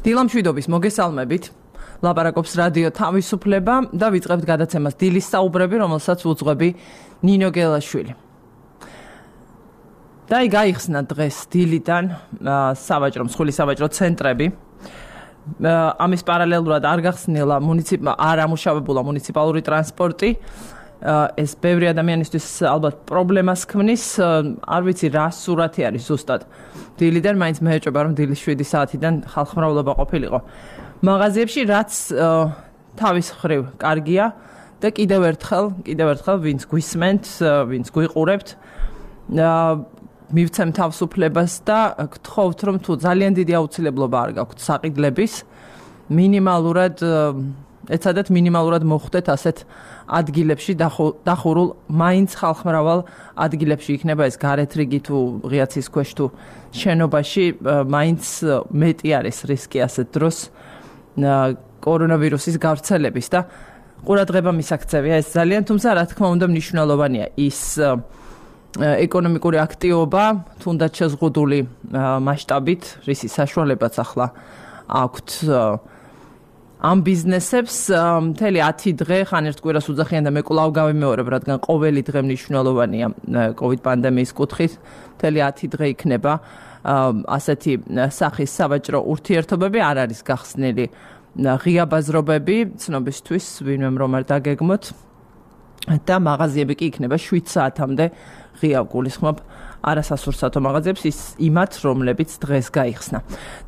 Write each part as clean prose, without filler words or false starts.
დილამშვიდობის მოგესალმებით. ლაპარაკობს რადიო თავისუფლება და ვიწყებთ გადაცემას დილის საუბრები, რომელსაც უძღვები ნინო გელაშვილი. და გაიხსნა დღეს დილიდან მსხვილი სავაჭრო ცენტრები. ამის პარალელურად არ გახსნილა არ ამუშავებულა მუნიციპალური ტრანსპორტი. ეს ბევრი ადამიანისთვის ალბათ პრობლემას ქმნის, არ ვიცი რა სურათი არის ზუსტად. დილიდან მაინც მეეჭვება რომ დილის 7 საათიდან ხალხმრავლობა ყოფილიყო. მაღაზიებში რაც თავის ხრივ კარგია და კიდევ ერთხელ ვინც გვისმენთ, ვინც გვიყურებთ, მივცემ თავისუფლებას და გთხოვთ რომ თუ ძალიან დიდი აუცილებლობა არ გაქვთ საყიდლების, მინიმალურად მოხვდეთ ასეთ ადგილებში დახურულ მაინც ხალხმრავალ ადგილებში იქნება ეს გარეთ რიგი თუ ღიაცის ქვეშ თუ შენობაში მაინც მეტი არის რისკი ასეთ დროს კორონავირუსის გავრცელების და ყურადღება მისაქცევია ეს ძალიან, თუმცა რა თქმა უნდა მნიშვნელოვანია ის ეკონომიკური აქტივობა, თუნდაც შეზღუდული მასშტაბით, რისი საშუალებაც ახლა აქვთ ამ ბიზნესებს მთელი 10 დღე ხან ერთ კვირას უძახიან და მე კვლავ გავიმეორებ, რადგან ყოველი დღე მნიშვნელოვანია COVID პანდემიის კუთხით, მთელი 10 დღე იქნება ასეთი სახის სავაჭრო ურთიერთობები, არ არის გახსნილი ღია ბაზრობები, ცნობისთვის ვინმემ რომ არ დაგეგმოთ და მაღაზიები კი იქნება 7 საათამდე ღია, გულისხმობ არასასურსათო მაღაზიებს იმათ, რომლებიც დღეს გაიხსნა.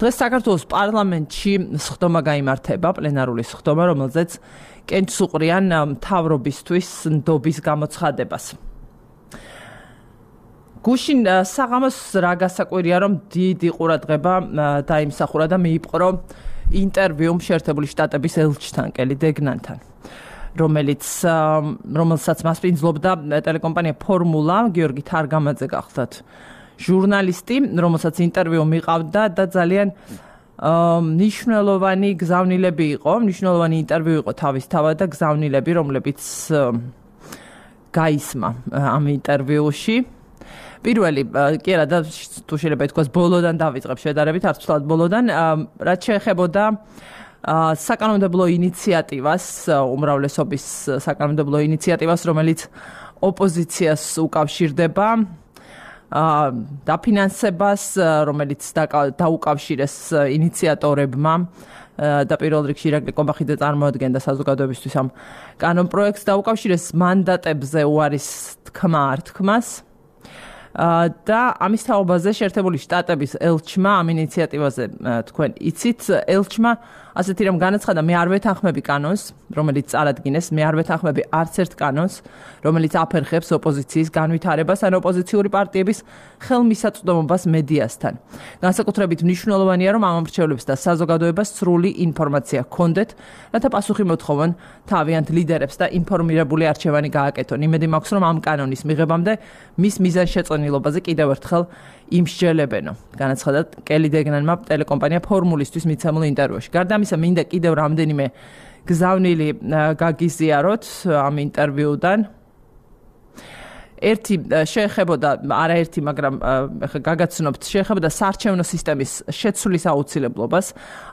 დღეს საქართველოს პარლამენტში სხდომა გაიმართება, პლენარული სხდომა, რომელზეც კენჭს უყრიან მთავრობისთვის ნდობის გამოცხადებას. გუშინ საღამოს რა გასაკვირია, რომ დიდი ყურადღება დაიმსახურა და მიიპყრო ინტერვიუ შეერთებული შტატების ელჩთან, კელი დეგნანთან, რომელსაც მასპინძლობდა ტელეკომპანია ფორმულა, გიორგი თარგამაძე გახლდათ ჟურნალისტი, რომელსაც ინტერვიუ მიყავდა და ძალიან მნიშვნელოვანი გზავნილები იყო, მნიშვნელოვანი ინტერვიუ იყო თავისთავად და გზავნილები, რომლებიც გაისმა ამ ინტერვიუში. პირველი, კი არა და თუ შეიძლება ითქვას ბოლოდან დავიწყებ შედარებით, არც ვთვლად ბოლოდან, რაც შეეხებოდა საკანონმდებლო ინიციატივას, უმრავლესობის საკანონმდებლო ინიციატივას, რომელიც ოპოზიციას უკავშირდება, დაფინანსებას, რომელიც დაუკავშირეს ინიციატორებმა და პირველ რიგში ირაკლი კობახიძე წარმოადგენდა საზოგადოებისთვის ამ კანონპროექტს, დაუკავშირეს მანდატებზე უარის თქმა არ თქმას. და ამის თაობაზე შეერთებული შტატების ელჩმა ამ ინიციატივაზე თქვენ იცით, ელჩმა ასეთი რამ განაცხადა, მე არ ვეთანხმები კანონს, რომელიც წარადგინეს, მე არ ვეთანხმები არც ერთ კანონს, რომელიც აფერხებს ოპოზიციის განვითარებას ან ოპოზიციური პარტიების ხელმისაწვდომობას მედიასთან. განსაკუთრებით მნიშვნელოვანია, რომ ამ მრჩევლებს და საზოგადოებას სრული ინფორმაცია ჰქონდეთ, რათა პასუხი მოთხოვონ თავიანთ ლიდერებს და ინფორმირებული არჩევანი გააკეთონ. იმედი მაქვს, რომ ამ კანონის მიღებამდე მის მიზანშეწონილობაზე კიდევ ერთხელ იმსჯელებენო, განაცხადა კელი დეგნანმა ტელეკომპანია ფორმულისთვის მიცემულ ინტერვიუში. გარდა ამისა, მინდა კიდევ რამდენიმე გზავნილი გაგიზიაროთ ამ ინტერვიუდან. ერთი შეეხებოდა, არაერთი, მაგრამ გაგაცნობთ, შეეხებოდა საარჩევნო სისტემის შეცვლის აუცილებლობას.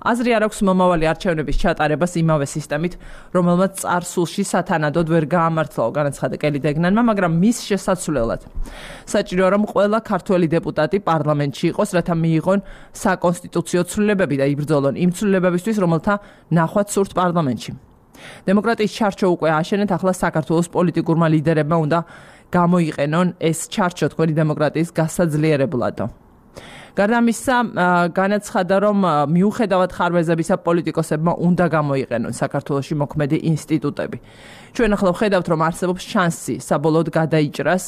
აზრი არ აქვს მომავალი არჩევნების ჩატარებას იმავე სისტემით, რომელმაც წარსულში სათანადოდ ვერ გაამართლა, განაცხადა კელი დეგნანმა, მაგრამ მის შესაცვლელად საჭიროა, რომ ყველა ქართველი დეპუტატი პარლამენტში იყოს, რათა მიიღონ საკონსტიტუციო ცვლილებები და იბრძოლონ იმ ცვლილებებისთვის, რომელთა ნახვაც სურთ პარლამენტში. დემოკრატიის ჩარჩო უკვე აშენეთ, ახლა საქართველოს პოლიტიკურმა ლიდერებმა უნდა გამოიყენონ ეს ჩარჩო თქვენი დემოკრატიის გასაძლიერებლადო. გარდა ამისა, განაცხადა, რომ მიუხედავად ხარვეზებისა პოლიტიკოსებმა უნდა გამოიყენონ საქართველოში მოქმედი ინსტიტუტები. ჩვენ ახლა ვხედავთ, რომ არსებობს შანსი საბოლოოდ გადაიჭრას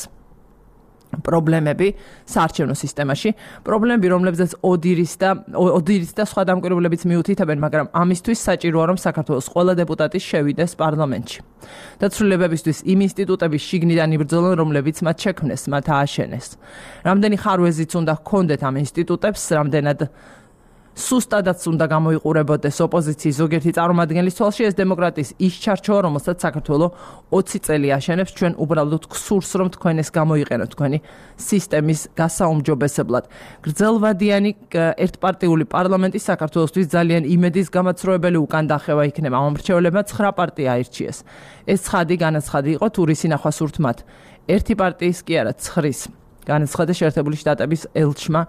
პრობლემები საარჩევნო სისტემაში, პრობლემები, რომლებზეც ოდირის და სხვა დამკვირვებლებიც მიუთითებენ, მაგრამ ამისთვის საჭიროა, რომ საქართველოს ყველა დეპუტატი შევიდეს პარლამენტში. და ცვლილებებისთვის იმ ინსტიტუტების შიგნიდან იბრძოლონ, რომლებიც მათ შექმნეს, მათ ააშენეს. რამდენი ხარვეზიც უნდა ჰქონდეთ ამ ინსტიტუტებს, რამდენად სუსტადაც უნდა გამოიყურებოდეს ოპოზიციის ზოგიერთი წარმომადგენლის თვალში ეს დემოკრატიის ის ჩარჩოა, რომელსაც საქართველოს 20 წელი აშენებს, ჩვენ უბრალოდ გსურს რომ თქვენ ეს გამოიყენოთ თქვენი სისტემის გასაუმჯობესებლად. გრძელვადიანი ერთპარტიული პარლამენტი საქართველოსთვის ძალიან იმედის გამაცრუებელი უკან დახევა იქნება. ამ მრჩევლებმა 9 პარტია აირჩიეს. ეს ცხადი განაცხადი იყო თურის ინახვა სურთ მათ. ერთი პარტიის კი არა, 9-ის განაცხადა შეერთებული შტატების ელჩმა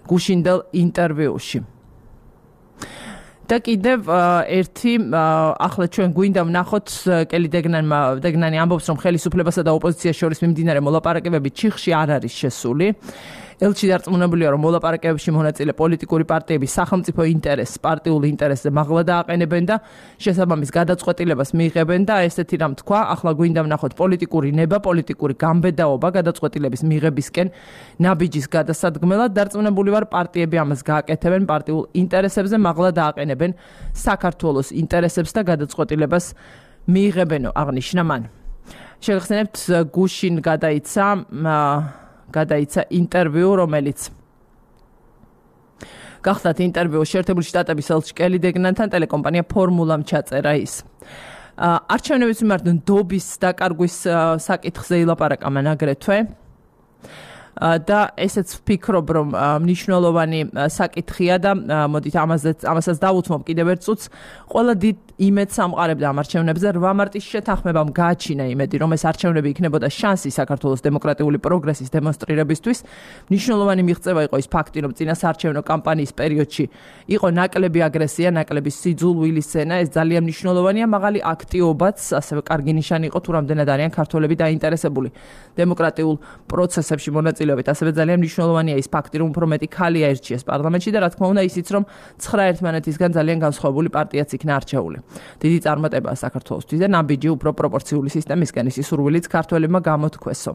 გუშინდელ ინტერვიუში. და კიდევ ერთი ახლა ჩვენ გვინდა ვნახოთ კელი დეგნანი ამბობს რომ ხელისუფლებასა და ოპოზიციას შორის მიმდინარე მოლაპარაკებები ჩიხში არ არის შესული. ელჩი დარწმუნებულია რომ მოლაპარაკებებში მონაწილე პოლიტიკური პარტიები სახელმწიფო ინტერესს, პარტიულ ინტერესზე მაღლა დააყენებენ და შესაბამის გადაწყვეტილებას მიიღებენ და ესეთი რამ თქვა, ახლა გვინდა ვნახოთ პოლიტიკური ნება, პოლიტიკური გამბედაობა გადაწყვეტილების მიღებისკენ ნაბიჯის გადასადგმელად. დარწმუნებული ვარ პარტიები ამას გააკეთებენ პარტიულ ინტერესებზე მაღლა დააყენებენ საქართველოს ინტერესებს და გადაწყვეტილებას მიიღებენო აღნიშნა მან. შეგახსენებთ გუშინ გადაიცა ინტერვიუ, რომელიც გახსნათ ინტერვიუ შეერთებული შტატების ელჩ კელი დეგნანთან ტელეკომპანია ფორმულამ ჩაწერა ის. არჩევნების მიმართ ნდობის დაკარგვის საკითხზე ილაპარაკა მან აგრეთვე. და ესეც ვფიქრობ რომ მნიშვნელოვანი საკითხია და მოდით ამასაც დავუთმობ კიდევ ერთ წუთს. ყველა დიდ იმედს ამყარებდა ამ არჩევნებზე 8 მარტის შეთანხმებამ გააჩინა იმედი რომ ეს არჩევნები იქნებოდა შანსი საქართველოს დემოკრატიული პროგრესის დემონსტრირებისთვის. მნიშვნელოვანი მიღწევა იყო ის ფაქტი რომ წინასაარჩევნო კამპანიის პერიოდში იყო ნაკლები აგრესია, ნაკლები სიძულვილი სცენა. ეს ძალიან მნიშვნელოვანია, მაღალი აქტიობაც ასევე კარგი ნიშანი იყო თუ რამდენად არიან ქართველები დაინტერესებული დემოკრატიულ პროცესებში მონაწილეობით. ასევე ძალიან მნიშვნელოვანია ის ფაქტი რომ უფრო მეტი ქალი აირჩიეს პარლამენტში და რა თქმა უნდა ისიც რომ 9 ერთმანეთისგან ძალიან განსხვავებული პარტიაც იქნა არჩეული. დიდი წარმატებაა საქართველოსთვის და ნაბიჯი უფრო პროპორციული სისტემისგან ისი სურვილიც ქართველებმა გამოთქვესო.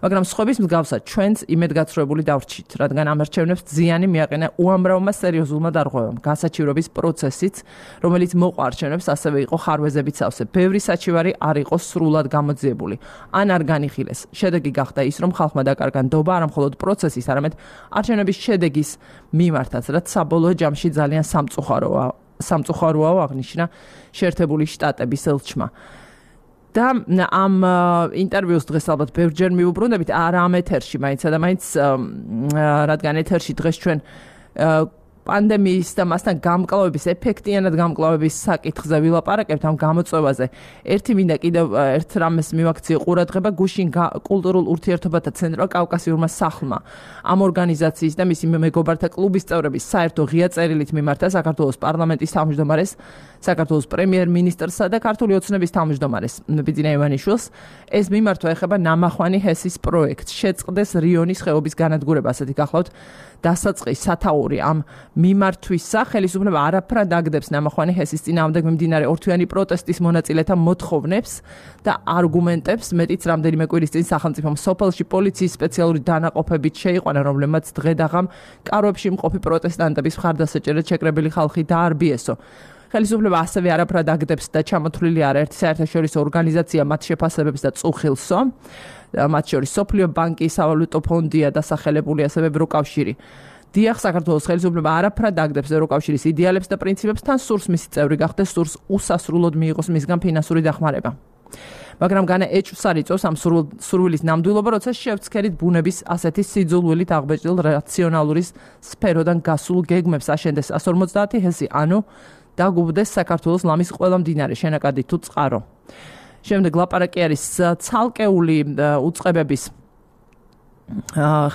მაგრამ სხვების მსგავსად ჩვენც იმედგაცრუებული დავრჩით, რადგან ამ არჩევნებს ზიანი მიაყენა უამრავმა სერიოზულმა დარღვევამ, გასაჩივრების პროცესიც, რომელიც მოყვა არჩევნებს, ასევე იყო ხარვეზებით სავსე. ბევრი საჩივარი არ იყო სრულად გამოძიებული, ან არ განიხილეს. შედეგი გახდა ის, რომ ხალხმა დაკარგა ნდობა არა მხოლოდ პროცესის, არამედ არჩევნების შედეგის მიმართაც, რაც საბოლოო ჯამში ძალიან სამწუხაროა აღნიშნა შეერთებული შტატების ელჩმა. და ამ ინტერვიუს დღეს ალბათ ბევრჯერ მიუბრუნდებით, არა ამ ეთერში, მაინც და მაინც რადგან ეთერში დღეს ჩვენ პანდემიის და მასთან გამკლავების, ეფექტიანად გამკლავების საკითხზე ვილაპარაკებთ ამ გამოწვევაზე. ერთი მინდა კიდევ ერთ რამეს მივაქციო ყურადღება გუშინ კულტურულ ურთიერთობათა ცენტრალ-კავკასიურმა სახლმა. ამ ორგანიზაციის და მისი მეგობართა კლუბის წევრების საერთო ღია წერილით მიმართა საქართველოს პარლამენტის თავმჯდომარეს, საქართველოს პრემიერ-მინისტრსა და ქართული ოცნების თავმჯდომარეს ბიძინა ივანიშვილს. ეს მიმართვა ეხება ნამახვანი ჰესის პროექტს. შეწყდეს რიონის ხეობის განადგურება, ასეთი გახლავთ დასაწყის სათაური ამ მიმართვისა. ხელისუფლება არაფრად აგდებს ნამახვანი ჰესის წინააღმდეგ მიმდინარე ორთვიანი პროტესტის მონაწილეთა მოთხოვნებს და არგუმენტებს. მეტიც რამდენიმე კვირის წინ სახელმწიფომ სოფელში პოლიციის სპეციალური დანაყოფებით შეიყვანა, რომლებმაც დღე-დაღამ კარვებში მყოფი პროტესტანტების მხარდასაჭერად შეკრებილი ხალხი დაარბიესო. ხელისუფლება ასევე არაფრად აგდებს და ჩამოთვლილი არაერთი საერთაშორისო ორგანიზაცია მათ შეფასებებს და წუხილსო. მათ შორის სოფლიო ბანკი, სავალუტო ფონდია დასახელებული, ასევე ევროკავშირი. დიახ, საქართველოს ხელისუფლება არაფრად აგდებს ევროკავშირის იდეალებს და პრინციპებს, თან სურს მისი წევრი გახდეს, სურს უსასრულოდ მიიღოს მისგან ფინანსური დახმარება. მაგრამ განა ეჭვს არ იწვევს ამ სურვილის ნამდვილობა, როცა შევცქერით ბუნების ასეთი სიძულვილით აღბეჭდილ რაციონალური სფეროდან გასულ გეგმებს აშენდეს 150 ჰესი, ანუ დაგუბდეს საქართველოს ლამის ყველა მდინარე, შენაკადი თუ წყარო. შემდეგ ლაპარაკი არის ცალკეული უწყებების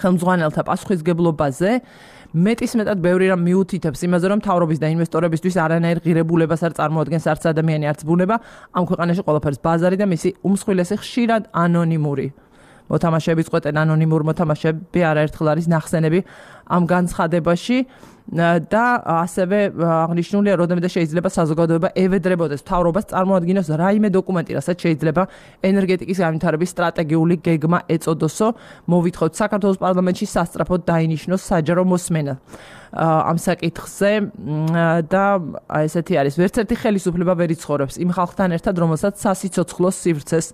ხელმძღვანელთა პასუხისგებლობაზე. მეტისმეტად ბევრი რამ მიუთითებს იმაზე, რომ მთავრობის და ინვესტორებისთვის არანაირ ღირებულებას არ წარმოადგენს არც ადამიანი, არც ბუნება. ამ ქვეყანაში ყველაფერს ბაზარი და მისი უმსხვილესი ხშირად ანონიმური მოთამაშეების წყვეტენ ანონიმურ მოთამაშეები არაერთხელ არის ნახსენები ამ განცხადებაში და ასევე აღნიშნულია, როდემე შეიძლება საზოგადოება ევედრებოდეს მთავრობას წარმოადგინოს რაიმე დოკუმენტი, რასაც შეიძლება ენერგეტიკის განვითარების სტრატეგიული გეგმა ეწოდოსო. მოვითხოვთ საქართველოს პარლამენტში სასწრაფოდ დაინიშნოს საჯარო მოსმენა ამ საკითხზე და ესეთი არის. ვერც ერთი ხელისუფლება ვერ იცხოვრებს იმ ხალხთან ერთად, რომელსაც სასიცოცხლო სივრცეს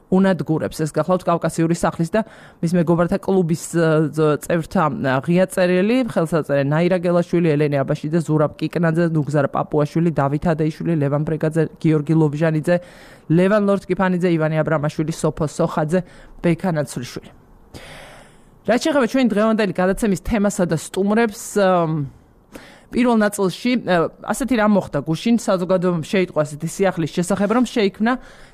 უნადგურებს. ეს გახლავთ კავკასიური სახლის და მის მეგობრთა კლუბის წევრთა ღია წერილი, ხელსაწერე ნაირა გელაშვილი, ელენე აბაშიძე, ზურაბ კიკნაძე, ნუგზარ პაპუაშვილი, დავით ადეიშვილი, ლევან ბრეგაძე, გიორგი ლობჟანიძე, ლევან ლორთკიფანიძე, ივანე აბრამაშვილი, სოფო სოხაძე, ბექა ნაცვლიშვილი. რაც შეეხება ჩვენ დღევანდელი გადაცემის თემასა და სტუმრებს, პირველ ნაწილში ასეთი რამ მოხდა გუშინ საზოგადოებამ შეიტყვა ასეთი სიახლის შესახებ, რომ შეიქმნა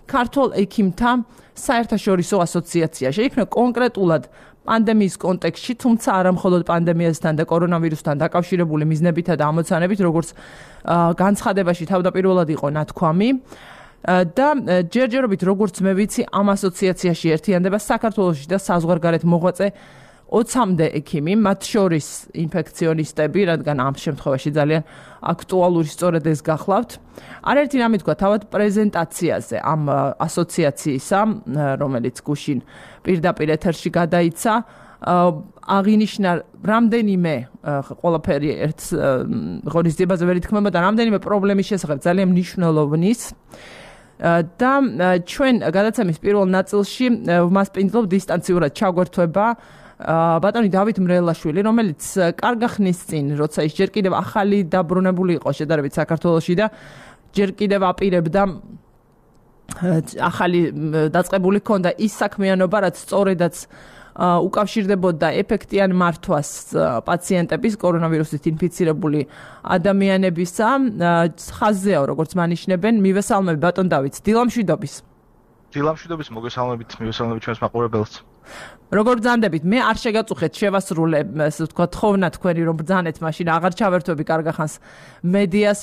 ქართულ ექიმთა საერთაშორისო ასოციაცია. შეიქმნა კონკრეტულად პანდემიის კონტექსტში, თუმცა არა მხოლოდ პანდემიასთან და კორონავირუსთან დაკავშირებული მიზნებითა და ამოცანებით, როგორც განცხადებაში თავდაპირველად იყო ნათქვამი. და ჯერჯერობით როგორც მე ვიცი, ამ ასოციაციაში ერთიანდება საქართველოში და საზღვარგარეთ მოღვაწე 20-მდე ექიმი, მათ შორის ინფექციონისტები, რადგან ამ შემთხვევაში ძალიან აქტუალური სწორედ ეს გახლავთ. არაერთი რამე თქვა თავად პრეზენტაციაზე ამ ასოციაციისა, რომელიც გუშინ პირდაპირ ეთერში გადაიცა, აღინიშნა რამდენიმე ყველაფერი ერთ ღონისძიებაზე ვერ ითქმება და რამდენიმე პრობლემის შესახებ ძალიან მნიშვნელოვნის. და ჩვენ გადაცემის პირველ ნაწილში ვმასპინძლობ დისტანციურად ჩაგვერთვება ბატონი დავით მრელაშვილი, რომელიც კარგა ხნის წინ, როცა ის ჯერ კიდევ ახალი დაბრუნებული იყო შედარებით საქართველოში და ჯერ კიდევ აპირებდა ახალი დაწყებული ჰქონდა ის საქმიანობა, რაც სწორედაც უკავშირდებოდა ეფექტიან მართვას პაციენტების კორონავირუსით ინფიცირებული ადამიანებისა. ხაზზეა, როგორც მანიშნებენ, მივესალმები ბატონ დავით, დილამშვიდობის. დილამშვიდობის, მოგესალმებით, მივესალმებით ჩვენს მაყურებელს. როგორ ბრძანდებით? მე არ შეგაწუხეთ შევასრულე, ესე ვთქვა, თხოვნა თქვენი რომ ბრძანეთ, მაშინ აღარ ჩავერთვები კარგა ხანს მედიას,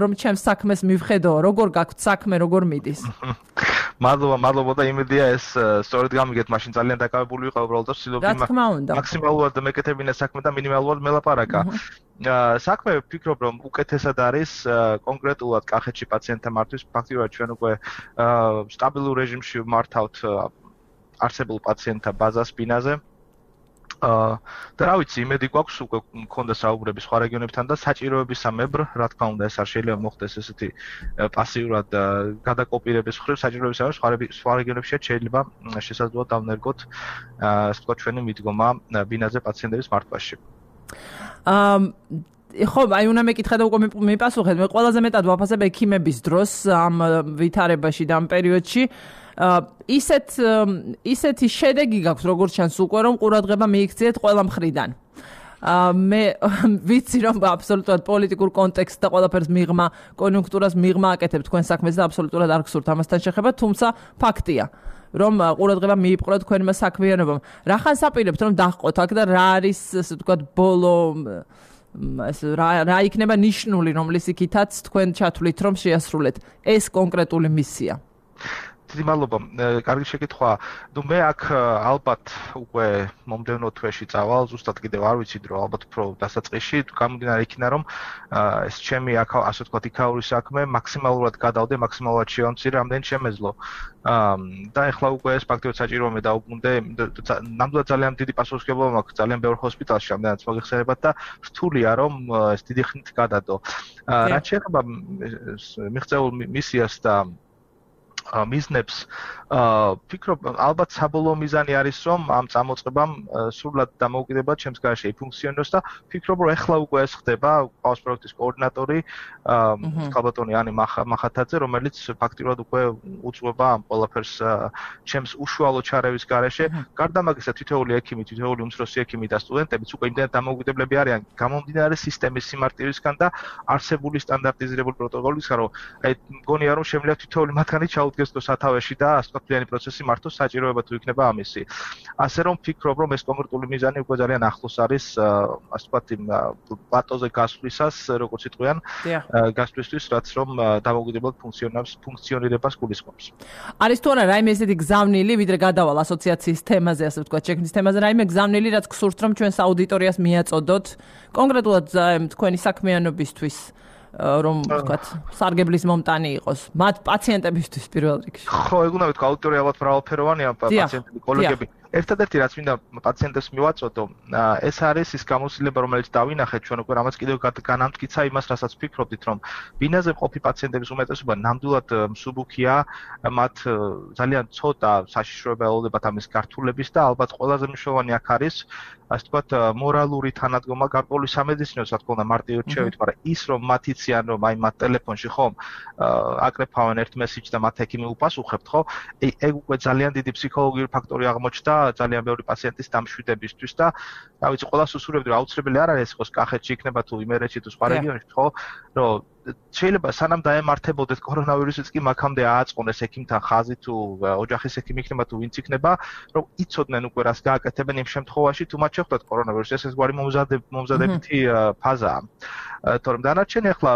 რომ ჩემს საქმეს მივხედო, როგორ გაქვთ საქმე, როგორ მიდის? მადლობა და იმედია ეს სწორედ გამიგეთ, მაშინ ძალიან დაკავებული ვიყავ უბრალოდ და ვცდილობდი მაქსიმალურად მეკეთებინა საქმე და მინიმალურად მელაპარაკა. საქმე ვფიქრობ, რომ უკეთესად არის კონკრეტულად კახეთში პაციენტთა მართვის, ფაქტიურად ჩვენ უკვე სტაბილურ რეჟიმში ვმართავთ არსებულ პაციენტთა ბაზას ბინაზე. და რა ვიცი, იმედი გვაქვს უკვე მქონდა საუბრები სხვა რეგიონებთან და საჭიროების სამებრ, რა თქმა უნდა, ეს არ შეიძლება მოხდეს ესეთი პასიურად გადაკოპირების მხრივ, საჭიროების სამებრ სხვა რეგიონებში შეიძლება შესაძლოა დავნერგოთ ასე ვთქვათ ჩვენი მიდგომა ბინაზე პაციენტების მართვაში. ხო, აი უნდა მეკითხა და უკვე მიპასუხეთ. მე ყველაზე მეტად ვაფასებ ექიმების დროს ამ ვითარებაში და ამ პერიოდში. ისეთი შედეგი გაქვს, როგორც ჩანს უკვე, რომ ყურადღება მიიქციეთ ყველა მხრიდან. მე ვიცი, რომ აბსოლუტურად პოლიტიკურ კონტექსტს და ყველაფერს მიღმა, კონიუნქტურას მიღმა აკეთებ თქვენ საქმეს და აბსოლუტურად არ გსურთ ამასთან შეხება, თუმცა ფაქტია, რომ ყურადღება მიიპყრო თქვენმა საქმიანობამ. რახან საპირებთ, რომ დაჰყოთ აქ და რა არის, ასე ვთქვათ, ბოლო რა იქნება ნიშნული, რომლის იქითაც თქვენ ჩათვლით, რომ შეასრულეთ ეს კონკრეტული მისია? დიდი მადლობა. კარგი შეკითხვა. ნუ მე აქ ალბათ უკვე მომდევნო თვეში წავალ, ზუსტად კიდევ არ ვიცი დრო, ალბათ უფრო დასაწყისში, გამომდინარე იქნა, რომ ეს ჩემი აქ ასე ვთქვათ იქაური საქმე მაქსიმალურად გადავდე, მაქსიმალურად შევამცირე, რამდენი შემეძლო. და ეხლა უკვე ეს ფაქტობრივად საჭიროა მე დაუბრუნდე, ნამდვილად ძალიან დიდი პასუხისმგებლობა მაქვს ძალიან ბევრ ჰოსპიტალში, რამდენიც მოგეხსენებათ და რთულია რომ ეს დიდი ხნით გადადო. რაც შეეხება მიღწეულ მისიას და მიზნებს, ვფიქრობ, ალბათ საბოლოო მიზანი არის, რომ ამ წამოწყებამ სრულად დამოუკიდებლად ჩემს გარშე იფუნქციონოს და ვფიქრობ, რომ ეხლა უკვე ეს ხდება, ყავს პროექტის კოორდინატორი, ხალბატონი ანი მახათაძე, რომელიც ფაქტიურად უკვე უძღვება ამ ყველაფერს ჩემს უშუალო ჩარევის გარეშე. გარდა მაგისა, თითოეული ექიმი, თითოეული უმცროსი ექიმი და სტუდენტებიც უკვე იმდენად დამოუკიდებლები არიან გამომდინარე სისტემის სიმარტივისგან და არსებული სტანდარტიზირებული პროტოკოლისგან, რომ აი მგონია, რომ შემიძლია თითოეული მათგანი ჩაუდგეს სათავეში და ასე ვთქვათ, პროცესი მართოს საჭიროება თუ იქნება ამისი. ასე რომ ვფიქრობ, რომ ეს კონკრეტული მიზანი უკვე ძალიან ახლოს არის, ასე ვთქვათ, იმ პლატოზე გასვლისას, როგორც იტყვიან, გასვლისთვის, რაც რომ დამოუკიდებლად ფუნქციონირებას გულისხმობს. არის თუ არა რაიმე ესეთი გზავნილი, ვიდრე გადავალ ასოციაციის თემაზე, ასე ვთქვათ, შექმნის თემაზე, რაიმე გზავნილი, რაც გსურთ, რომ ჩვენს აუდიტორიას მიაწოდოთ, კონკრეტულად თქვენი საქმიანობისთვის, რომ ვთქვათ, სარგებლის მომტანი იყოს, მათ პაციენტებისთვის პირველ რიგში. ხო, ეგ უნდა ვთქვა, აუდიტორია ალბათ მრავალფეროვანია, პაციენტები, კოლეგები. ერთადერთი რაც მინდა პაციენტებს მივაწოდო, ეს არის ის გამოცდილება, რომელიც დავინახეთ ჩვენ უკვე რამაც კიდევ განამტკიცა იმას, რასაც ვფიქრობდით, რომ ბინაზე მყოფი პაციენტების უმეტესობა ნამდვილად მსუბუქია, მათ ძალიან ცოტა საშიშროება ელოდებათ ამის გართულების და ალბათ ყველაზე მნიშვნელოვანი აქ არის ასე ვთქვათ, მორალური თანადგომა გარკვეული სამედიცინო სათქო უნდა მარტივად შევით, მაგრამ ის რომ მათ იციან, რომ აი მათ ტელეფონში ხომ აკრეფავენ ერთ მესიჯს და მათ ექიმი უპასუხებთ, ხო? ეგ უკვე ძალიან დიდი ფსიქოლოგიური ფაქტორი აღმოჩნდა ძალიან ბევრი პაციენტის დამშვიდებისთვის და რა ვიცი, ყველას უსურვებდი, რომ აუცილებელი არ არის ხო კახეთში იქნება თუ იმერეთში თუ სხვა რეგიონში, ხო? რომ შეიძლება სანამ დაემართებოდეთ კორონავირუსიც კი მაგამდე ააწყონეს ექიმთან ხაზი თუ ოჯახის ექიმი იქნება თუ ვინც იქნება, რომ იცოდნენ უკვე რას გააკეთებენ იმ შემთხვევაში თუ მათ შეხვდათ კორონავირუსი, ეს გვარი მომზადებითი ფაზაა. თორემ დანარჩენი ახლა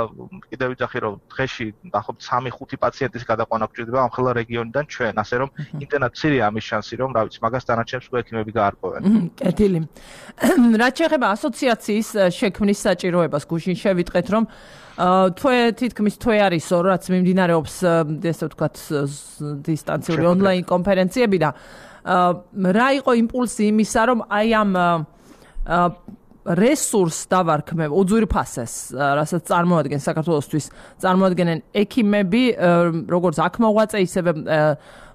კიდევ ვიძახი რომ დღეში დაახლოებით 3-5 პაციენტის გადაყვანა გვჭირდება ამ ხელა რეგიონიდან ჩვენ, ასე რომ იმდენად მცირეა ამის შანსი რომ რა ვიცი მაგას დანარჩენებს უკვე ექიმები გაარკვევენ. კეთილი. რაც შეეხება ასოციაციის შექმნის საჭიროებას, გუშინ შევიტყეთ რომ თითქმის თვე არისო, რაც მიმდინარეობს ესე ვთქვათ დისტანციური ონლაინ კონფერენციები და რა იყო იმპულსი იმისა, რომ აი ამ რესურს დავარქმევ უძვირფასეს, რასაც წარმოადგენს საქართველოსთვის, წარმოადგენენ ექიმები, როგორც აქ მოღვაწე, ისევე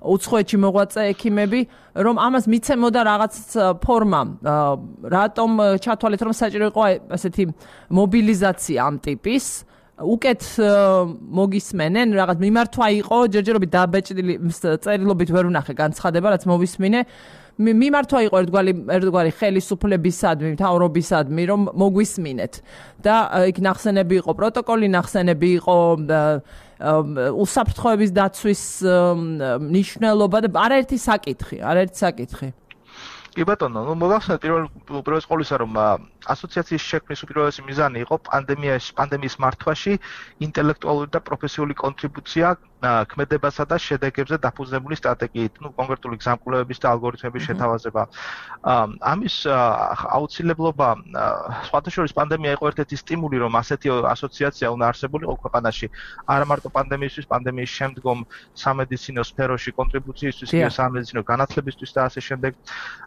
უცხოეთში მოღვაწე ექიმები, რომ ამას მიცემოდა რაღაც ფორმა, რატომ ჩათვალეთ, რომ საჭირო იყო ასეთი მობილიზაცია ამ ტიპის, უკეთ მოგისმენენ, რაღაც მიმართვა იყო, ჯერჯერობით დაბეჭდილი წერილობით ვერ ვნახე განცხადება, რაც მოვისმინე. მიმართვა იყო ერთგვარი ხელისუფლებისადმი, მთავრობისადმი, რომ მოგვისმინეთ. და იქ ნახსენები იყო პროტოკოლი, ნახსენები იყო უსაფრთხოების დაცვის მნიშვნელობა და არაერთი საკითხი. კი ბატონო, მოგახსენეთ პირველ ყოვლისა რომ ასოციაციის შექმნის უპირველესი მიზანი იყო პანდემიის მართვაში ინტელექტუალური და პროფესიული კონტრიბუცია ქმედებასა და შედეგებზე დაფუძნებული სტრატეგიით, კონკრეტული გზამკვლევების და ალგორითმების შეთავაზება. ამის აუცილებლობა სხვათა შორის პანდემია იყო ერთ-ერთი სტიმული, რომ ასეთი ასოციაცია უნდა არსებულიყო ქვეყანაში, არა მარტო პანდემიისთვის, პანდემიის შემდგომ სამედიცინო სფეროში კონტრიბუციისთვის, ისე სამედიცინო განათლებისთვის და ასე შემდეგ.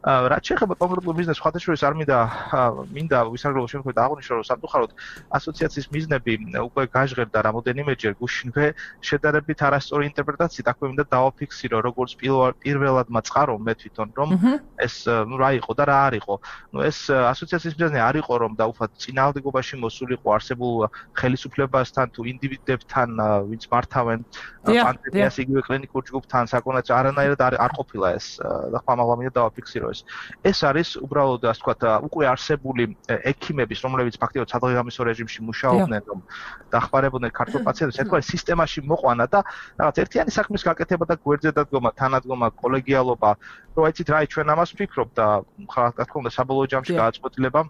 რაც შეეხება კონკრეტულ ბიზნესს, სხვათა შორის არ მინდა ვისაგრელო შემთხვევით აღვნიშნო, რომ სამწუხაროდ ასოციაციის მიზნები უკვე გაჟღერდა რამოდენიმეჯერ გუშინვე შედარებით არასწორი ინტერპრეტაციით, აქვე მინდა დავაფიქსირო, როგორც პირველად მაწყარო მე თვითონ, რომ ეს რა იყო და რა არ იყო. ეს ასოციაციის მიზანი არ იყო, რომ დაუφათ წინააღმდეგობაში მოსულიყო არსებულ ხელისუფლებასთან თუ ინდივიდებთან, ვინც მართავენ პანდემიას იგივე კლინიკურ ჯგუფთან, საკონაც არანაირად არ ყოფილა ეს და ხმამაღლა მინდა დავაფიქსირო ეს. ეს არის უბრალოდ ასე ვთქვათ, უკვე არსებული ექიმების, რომლებიც ფაქტიურად სადღეღამისო რეჟიმში მუშაობდნენ, რომ დახმარებოდნენ ქართულ პაციენტებს, ერთგვარი სისტემაში მოყვანა და რაღაც ერთიანი საქმის გაკეთება და გვერდზე დადგომა, თანადგომა, კოლეგიალობა, რომ აიცით რა, ჩვენ ამას ვფიქრობ და რა თქმა უნდა საბოლოო ჯამში გააწყვეტილება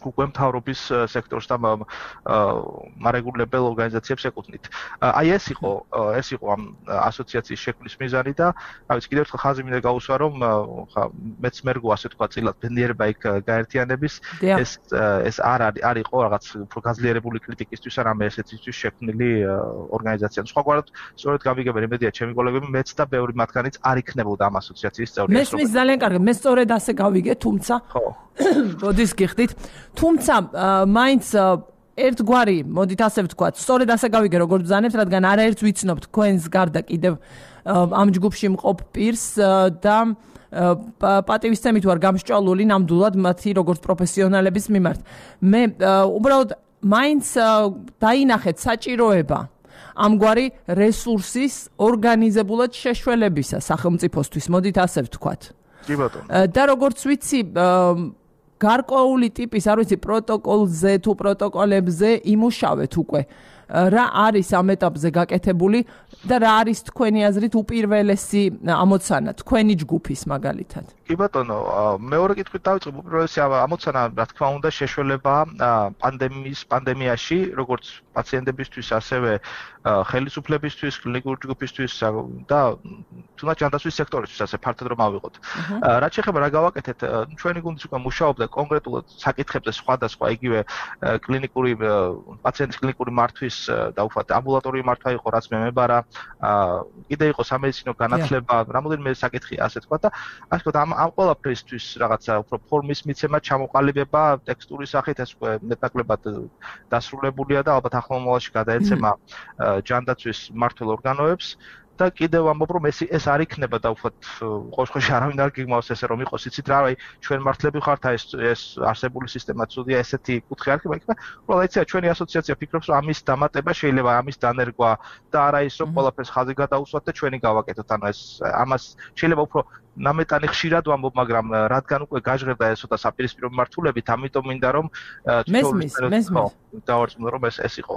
უკვე მთავრობის სექტორს და მარეგულებელ ორგანიზაციებს ეკუთვნით. აი ეს იყო ამ ასოციაციის შექმნის მიზანი და რა ვიცი, კიდევ ერთხელ ხაზი მინდა გაუსვა, რომ მეც მერგო ასე თქვა წილად ბედნიერება იქ გაერთიანების, ეს არ იყო რაღაც უფრო გაძლიერებული კრიტიკისთვის, არამედ ესეთისთვის შექმნილი ორგანიზაცია. სხვაგვარად, სწორედ გამიგებენ იმედია ჩემი კოლეგები, მეც და ბევრი მათგანიც არ იქნებოდა ამ ასოციაციის წევრი. მესმის ძალიან კარგი, მე სწორედ ასე გავიგე, თუმცა მოდის გიხდით. თუმცა მაინც ერთგვარი, მოდით ასე ვთქვათ, სწორედ ასე გავიგე, როგორც ბრძანებთ, რადგან არაერთს ვიცნობთ თქვენს გარდა კიდევ ამ ჯგუფში მყოფ პირს და პატივისცემით ვარ გამსჭვალული ნამდვილად მათი როგორც პროფესიონალების მიმართ. მე უბრალოდ მაინც დაინახეთ საჭიროება ამგვარი რესურსის ორგანიზებულად შეშველებისა სახელმწიფოსთვის, მოდით ასე ვთქვათ. კი ბატონო. და როგორც ვიცი, გარკვეული ტიპის, არ ვიცი, პროტოკოლზე თუ პროტოკოლებზე იმუშავეთ უკვე. რა არის ამ ეტაპზე გაკეთებული და რა არის თქვენი აზრით უპირველესი ამოცანა თქვენი ჯგუფის მაგალითად? კი ბატონო, მეორე კითხვით დავიწყებ, უპირველესი ამოცანა, რა თქმა უნდა, შეშველება პანდემიაში, როგორც პაციენტებისთვის, ასევე ხელისუფლებისთვის, კლინიკური ჯგუფისთვის და თუნდაც ჯანდაცვის სექტორისთვის, ასე ფართოდ რომ ავიღოთ. რაც შეეხება რა გავაკეთეთ, ჩვენი გუნდიც უკვე მუშაობდა კონკრეტულად საკითხებზე სხვადასხვა, იგივე კლინიკური პაციენტის კლინიკური მართვის დაუφათ ამბულატორიული მართვა იყო, რაც მე მებარა, კიდე იყო სამედიცინო განათლება, რამოდენიმე საკითხი ასე თქვა და ასე ვთქვათ, ამ ყველაფრისთვის რაღაცა უფრო ფორმის მიცემა, ჩამოყალიბება ტექსტურის სახით ეს უკვე მეტნაკლებად დასრულებულია და ალბათ ახლო მომავალში გადაეცემა ჯანდაცვის მმართველ ორგანოებს. და კიდევ ამბობ რომ ეს არ იქნება და უბრალოდ ყოველშაბათში არავინ არ გიგმავს ესე რომ იყოს იცით რა აი ჩვენ მართლები ხართ ეს არსებული სისტემა ცუდია ესეთი კუთხე არ იქნება უბრალოდ იცით ჩვენი ასოციაცია ფიქრობს რომ ამის დამატება შეიძლება ამის დანერგვა და არა ის რომ ყველაფერს ხაზი გადაუსვათ და ჩვენი გავაკეთოთ ანუ ეს ამას შეიძლება უფრო ნამეტანი ხშირად ვამბობ მაგრამ რადგან უკვე გაჟღერდა ეს ცოტა საპირისპირო მიმართულებით ამიტომ მინდა რომ მესმის დავარწმუნო რომ ეს იყო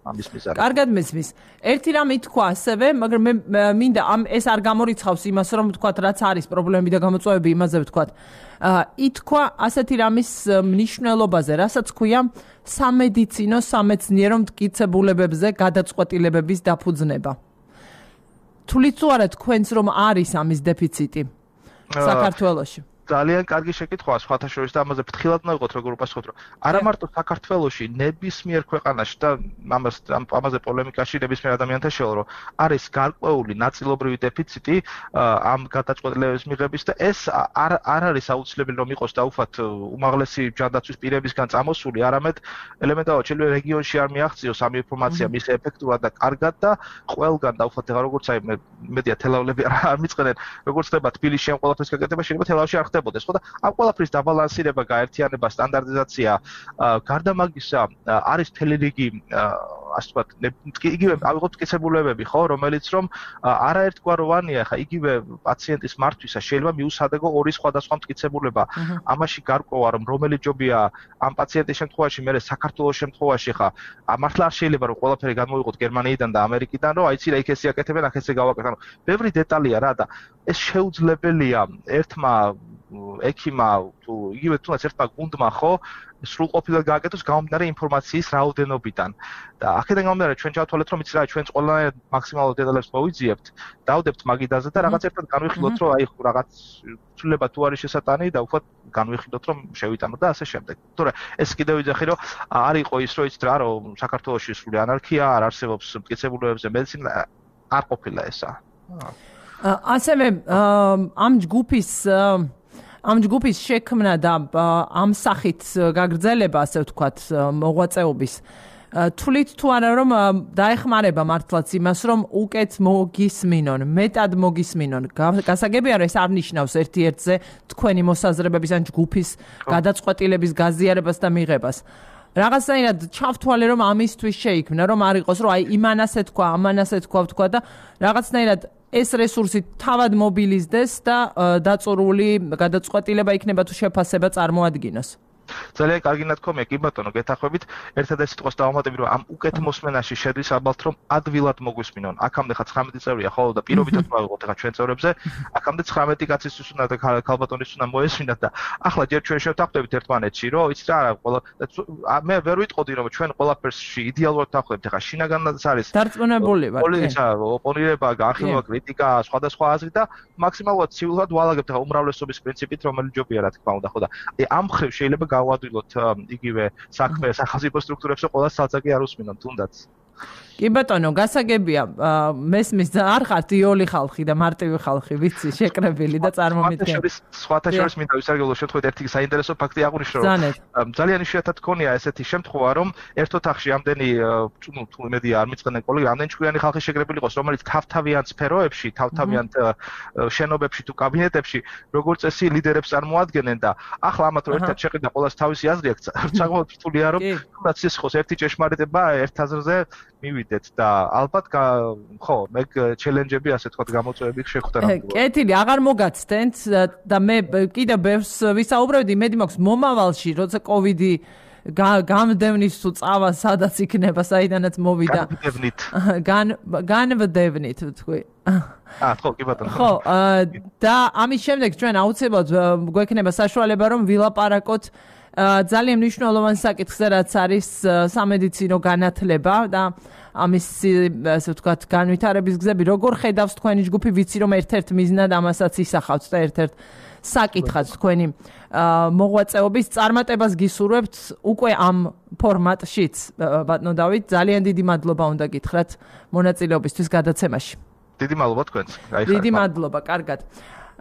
ამის მიზანი კარგად მესმის ერთი რამ ითქვა ასევე მაგრამ მე მინდა ეს არ გამორიცხავს იმას რომ ვთქვათ რაც არის პრობლემები და გამოწვევები იმაზე ვთქვათ ითქვა ასეთი რამის მნიშვნელობაზე რასაც ქვია სამედიცინო სამეცნიერო მტკიცებულებებზე გადაწყვეტილებების დაფუძნება თulit თუ არა თქვენს რომ არის ამის დეფიციტი საქართველოში ძალიან კარგი შეკითხვაა სხვათა შორის და ამაზე ფრთხილად ნაიღოთ როგორ უპასუხოთ რომ არა მარტო საქართველოში ნებისმიერ ქვეყანაში და ამაზე პოლემიკაში ნებისმიერ ადამიანთან შევალ რომ არის გარკვეული ნაწილობრივი დეფიციტი ამ გადაწყვეტილებების მიღების და ეს არ არის აუცილებელი რომ იყოს დაუφათ უმაღლესი ჯანდაცვის პირებისგან წამოსული არამედ ელემენტარულად შეიძლება რეგიონში არ მიაღწიოს ამ ინფორმაცია მის ეფექტურად და კარგად და ყველგან დაუφათ ეხლა როგორც აი მედია თელავლები არ მიწყენენ როგორც ხდება თბილისში ამ ყველაფრის გაკეთება შეიძლება თელავში არ ხდებოდეს ხო და ამ ყველაფრის დაბალანსირება, გაერთიანება, სტანდარტიზაცია, გარდა მაგისა არის მთელი რიგი ასე ვთქვათ, იგივე ავიღოთ მტკიცებულებები, ხო, რომელიც რომ არაერთგვაროვანია, ხა იგივე პაციენტის მართვისას შეიძლება მიუსადეგო ორი სხვადასხვა მტკიცებულება. ამაში გარკვევა რომ რომელი ჯობია ამ პაციენტის შემთხვევაში, მე საქართველოს შემთხვევაში ხა მართლა არ შეიძლება რომ ყველაფერი გამოიღოთ გერმანიიდან და ამერიკიდან, რომ აიცი რა იქ ესე აკეთებენ, აქ ესე გავაკეთე. ანუ ბევრი დეტალია რა და ეს შეუძლებელია ერთმა ექიმა თუ იგივე თუნდაც ერთმა გუნდმა ხო სრულყოფილად გააკეთოს გამომდინარე ინფორმაციის რაოდენობიდან და აქედან გამომდინარე ჩვენ ჩავთვალეთ რომ იცი რა ჩვენს ყველანაირად მაქსიმალურ დეტალებს მოვიძიებთ დავდებთ მაგიდაზე და რაღაც ერთად განვიხილოთ რომ აი რაღაც ცვლილება თუ არის შესატანი და უბრალოდ განვიხილოთ რომ შევიტანოთ და ასე შემდეგ თორე ეს კიდევ ვიძახი რომ არ იყო ის რომ იცით რა რომ საქართველოში სრული ანარქია არ არსებობს მტკიცებულებებზე მედიცინა არ ყოფილა ესა ასევე ამ ჯგუფის შექმნა და ამ სახით გაგრძელება, ასე ვთქვათ, მოღვაწეობის თulit თუ არა რომ დაეხმარება მართლაც იმას, რომ უკეთ მოგისმინონ, მეტად მოგისმინონ. გასაგებია რომ ეს არ ნიშნავს ერთ-ერთზე თქვენი მოსაზრებების ან ჯგუფის გადაწყვეტილების გაზიარებას და მიღებას. რაღაცნაირად ჩავთვალე რომ ამისთვის შეიქმნა, რომ არ იყოს რომ აი იმანასე თქვა, ამანასე თქვა და რაღაცნაირად ეს რესურსი თავად მობილიზდეს და დაწურული გადაწყვეტილება იქნება თუ შეფასება წარმოადგინოს. ძალიან კარგი ნათქვამია კი ბატონო გეთახვებით ერთადერთი სიტყვას დავამატები რომ ამ უკეთ მოსმენაში შედის ალბათ რომ ადვილად მოგვისმინონ აქამდე ხა 19 წევრია ხოლმე და პირობითად ვავიღოთ ახლა ჩვენ წევრებზე აქამდე 19 კაცისთვის უნდა და ქალბატონის უნდა მოესმინათ და ახლა ჯერ ჩვენ შევთანხმდებით ერთმანეთში რომ იცით რა ყველა მე ვერ ვიტყოდი რომ ჩვენ ყველაფერსში იდეალურად დავხვდებით ახლა შინაგანაც არის დარწმუნებული ვარ პოლიტიკა ოპონირება განხილვა კრიტიკა სხვადასხვა აზრი და მაქსიმალურად ცივილად ვალაგებთ ახლა უმრავლესობის პრინციპით რომელიც ჯობია რა თქმა უნდა ხო და ამ მხრივ შეიძლება გავადვილოთ იგივე საქმე სახელმწიფო სტრუქტურებში ყველა სალწაკი არ უსმინონ თუნდაც კი ბატონო გასაგებია მესმის არ ხართ იოლი ხალხი და მარტივი ხალხი ვიცი შეკრებილი და წარმომიდგენელი სხვათა შორის მინდა ვისარგებლო შემთხვევით ერთი საინტერესო ფაქტი აღვნიშნო რომ ძალიან იშვიათად გქონია ესეთი შემთხვევა რომ ერთ ოთახში ამდენი თუ მედია არ მიწყენენ კოლეგები ამდენი ჭკვიანი ხალხი შეკრებილი იყოს რომელიც თავთავიან სფეროებში თავთავიან შენობებში თუ კაბინეტებში როგორც წესი ლიდერებს წარმოადგენენ და ახლა ამათ რომ ერთად შეყიდა ყოველას თავისი აზრი აქვს საკმაოდ რთულია რომ თუნდაც ის იყოს ერთი ჭეშმარიტება ერთ აზრზე მივიდეთ და ალბათ ხო მე ჩელენჯები ასე თქვა გამოწვევები შეხვდა ნამდვილად. კეთილი აღარ მოგაცდენთ და მე კიდევ ბევრს ვისაუბრებდი იმედი მაქვს მომავალში როცა კოვიდი გამდევნის თუ წავა სადაც იქნება საიდანაც მოვიდა განვდევნით თქვი ხო კი ბატონო ხო და ამის შემდეგ ჩვენ აუცილებლად გვექნება საშუალება რომ ვილაპარაკოთ ძალიან მნიშვნელოვანი საკითხზე რაც არის სამედიცინო განათლება და ამის ასე ვთქვათ განვითარების გზები როგორ ხედავს თქვენი ჯგუფი ვიცი რომ ერთ-ერთ მიზნად ამასაც ისახავთ და ერთ-ერთ საკითხად თქვენი მოღვაწეობის წარმატებას გისურვებთ უკვე ამ ფორმატშიც ბატონო დავით ძალიან დიდი მადლობა უნდა გითხრათ მონაწილეობისთვის გადაცემაში დიდი მადლობა თქვენს დიდი მადლობა კარგად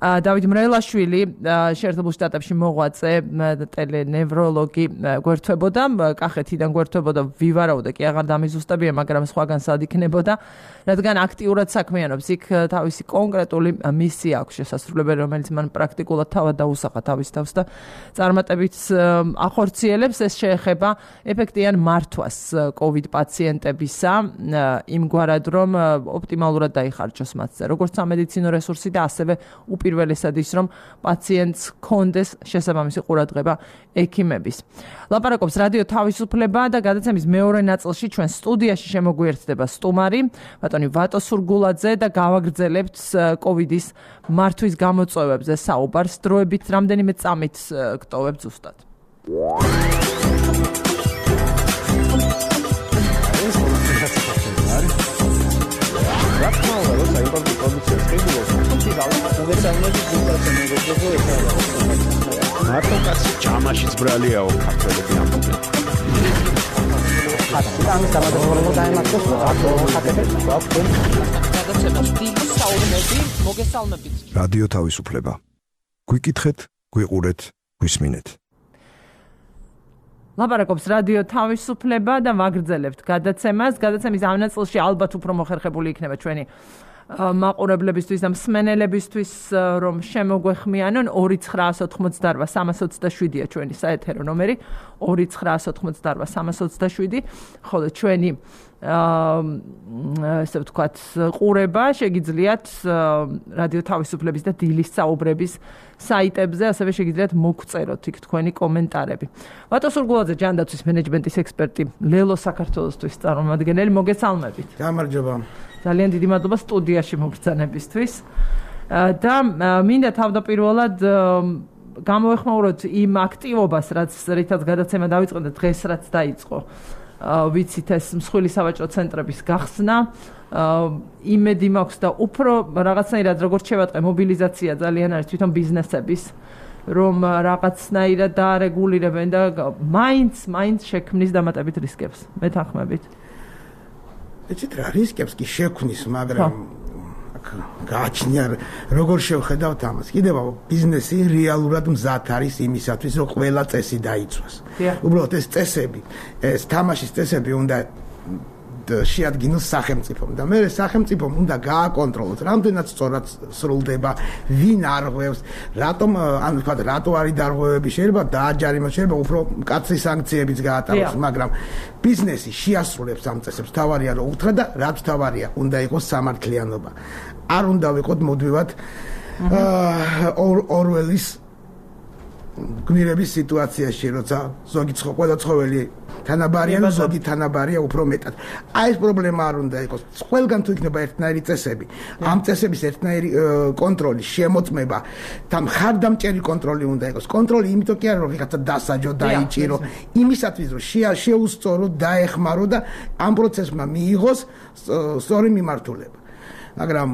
დავით მრელაშვილი შეერთებულ შტატებში მოღვაწე ტელენევროლოგი გვერდთვებოდა, კახეთიდან გვერდთვებოდა, ვივარაუდა კი აღარ დამიზუსტებია, მაგრამ სხვაგან სად იქნებოდა, რადგან აქტიურად საქმიანობს იქ თავისი კონკრეტული მისია აქვს შესასრულებელი, რომელიც მან პრაქტიკულად თავად დაუსახა თავის თავს და წარმატებით ახორციელებს. ეს შეეხება ეფექტიან მართვას COVID პაციენტებისა, იმგვარად რომ ოპტიმალურად დაიხარჯოს მათზე, როგორც სამედიცინო რესურსი და ასევე უპირველესად ის, რომ პაციენტს ჰქონდეს შესაბამისი ყურადღება ექიმების. ლაპარაკობს რადიო თავისუფლება და გადაცემის მეორე ნაწილში ჩვენ სტუდიაში შემოგვიერთდება სტუმარი ბატონი ვატო სურგულაძე და გავაგრძელებთ COVID-ის მართვის გამოწვევებზე საუბარს. დროებით რამდენიმე წამით გტოვებთ ზუსტად. მარტო კაცი ჯამაშიც ბრალიაო ქართველები ამბობენ. რადიო თავისუფლება. გვიკითხეთ, გვიყურეთ, გვისმინეთ. ლაპარაკობს რადიო თავისუფლება და ვაგრძელებთ გადაცემას. გადაცემის ამ ნაწილში ალბათ უფრო მოხერხებული იქნება ჩვენი მაყურებლებისთვის და მსმენელებისთვის, რომ შემოგვეხმიანონ 2988327-ია ჩვენი საეთერო ნომერი 2988327, ხოლო ჩვენი ესე ვთქვათ ყურება შეგიძლიათ რადიო თავისუფლების და დილის საუბრების საიტებზე, ასევე შეგიძლიათ მოგწეროთ იქ თქვენი კომენტარები. ვატო სურგულაძე ჯანდაცვის მენეჯმენტის ექსპერტი, ლელო საქართველოსთვის წარმომადგენელი, მოგესალმებით. გამარჯობა. ძალიან დიდი მადლობა სტუდიაში მოგბრძანებისთვის. და მინდა თავდაპირველად გამოვეხმაუროთ იმ აქტივობას, რითაც გადაცემა დავიწყო და დღეს რაც დაიწყო. ვიცით ეს მსხვილი სავაჭრო ცენტრების გახსნა. იმედი მაქვს და უფრო რაღაცნაირად როგორც შევატყე მობილიზაცია ძალიან არის თვითონ ბიზნესების, რომ რაღაცნაირად დაარეგულირებენ და მაინც შექმნის დამატებით რისკებს. მეთანხმებით? ეცეთ რა რისკებს კი შექმნის, მაგრამ გააჩნია როგორ შევხედავთ ამას. კიდევ ბიზნესი რეალურად მზად არის იმისათვის, რომ ყველა წესი დაიცვას. უბრალოდ ეს წესები, ეს თამაშის წესები უნდა შეადგინოს სახელმწიფომ და მე სახელმწიფომ უნდა გააკონტროლოს, რამდენად სწორად სრულდება, ვინ არღვევს, რატომ ანუ თქვა რატო არის დარღვევები, შეიძლება დააჯარიმოს, შეიძლება უფრო მკაცრი სანქციებიც გაატაროს, მაგრამ ბიზნესი შეასრულებს ამ წესებს. თავარია რომ უთხრა და რაც თავარია, უნდა იყოს სამართლიანობა. არ უნდა ვიყოთ მოდვივად ორველის გმირების სიტუაციაში, როცა ზოგი ყველა ცხოველი თანაბარია და ზოგი თანაბარია უფრო მეტად. აი ეს პრობლემა არ უნდა იყოს. ყველგან თუ იქნება ერთნაირი წესები, ამ წესების ერთნაირი კონტროლი, შემოწმება და მხარდამჭერი კონტროლი უნდა იყოს. კონტროლი იმიტომ კი არა რომ ვიღაცა დასაჯო, დაიჭირო, იმისათვის რომ შეუსწორო, დაეხმარო და ამ პროცესმა მიიღოს სწორი მიმართულება. მაგრამ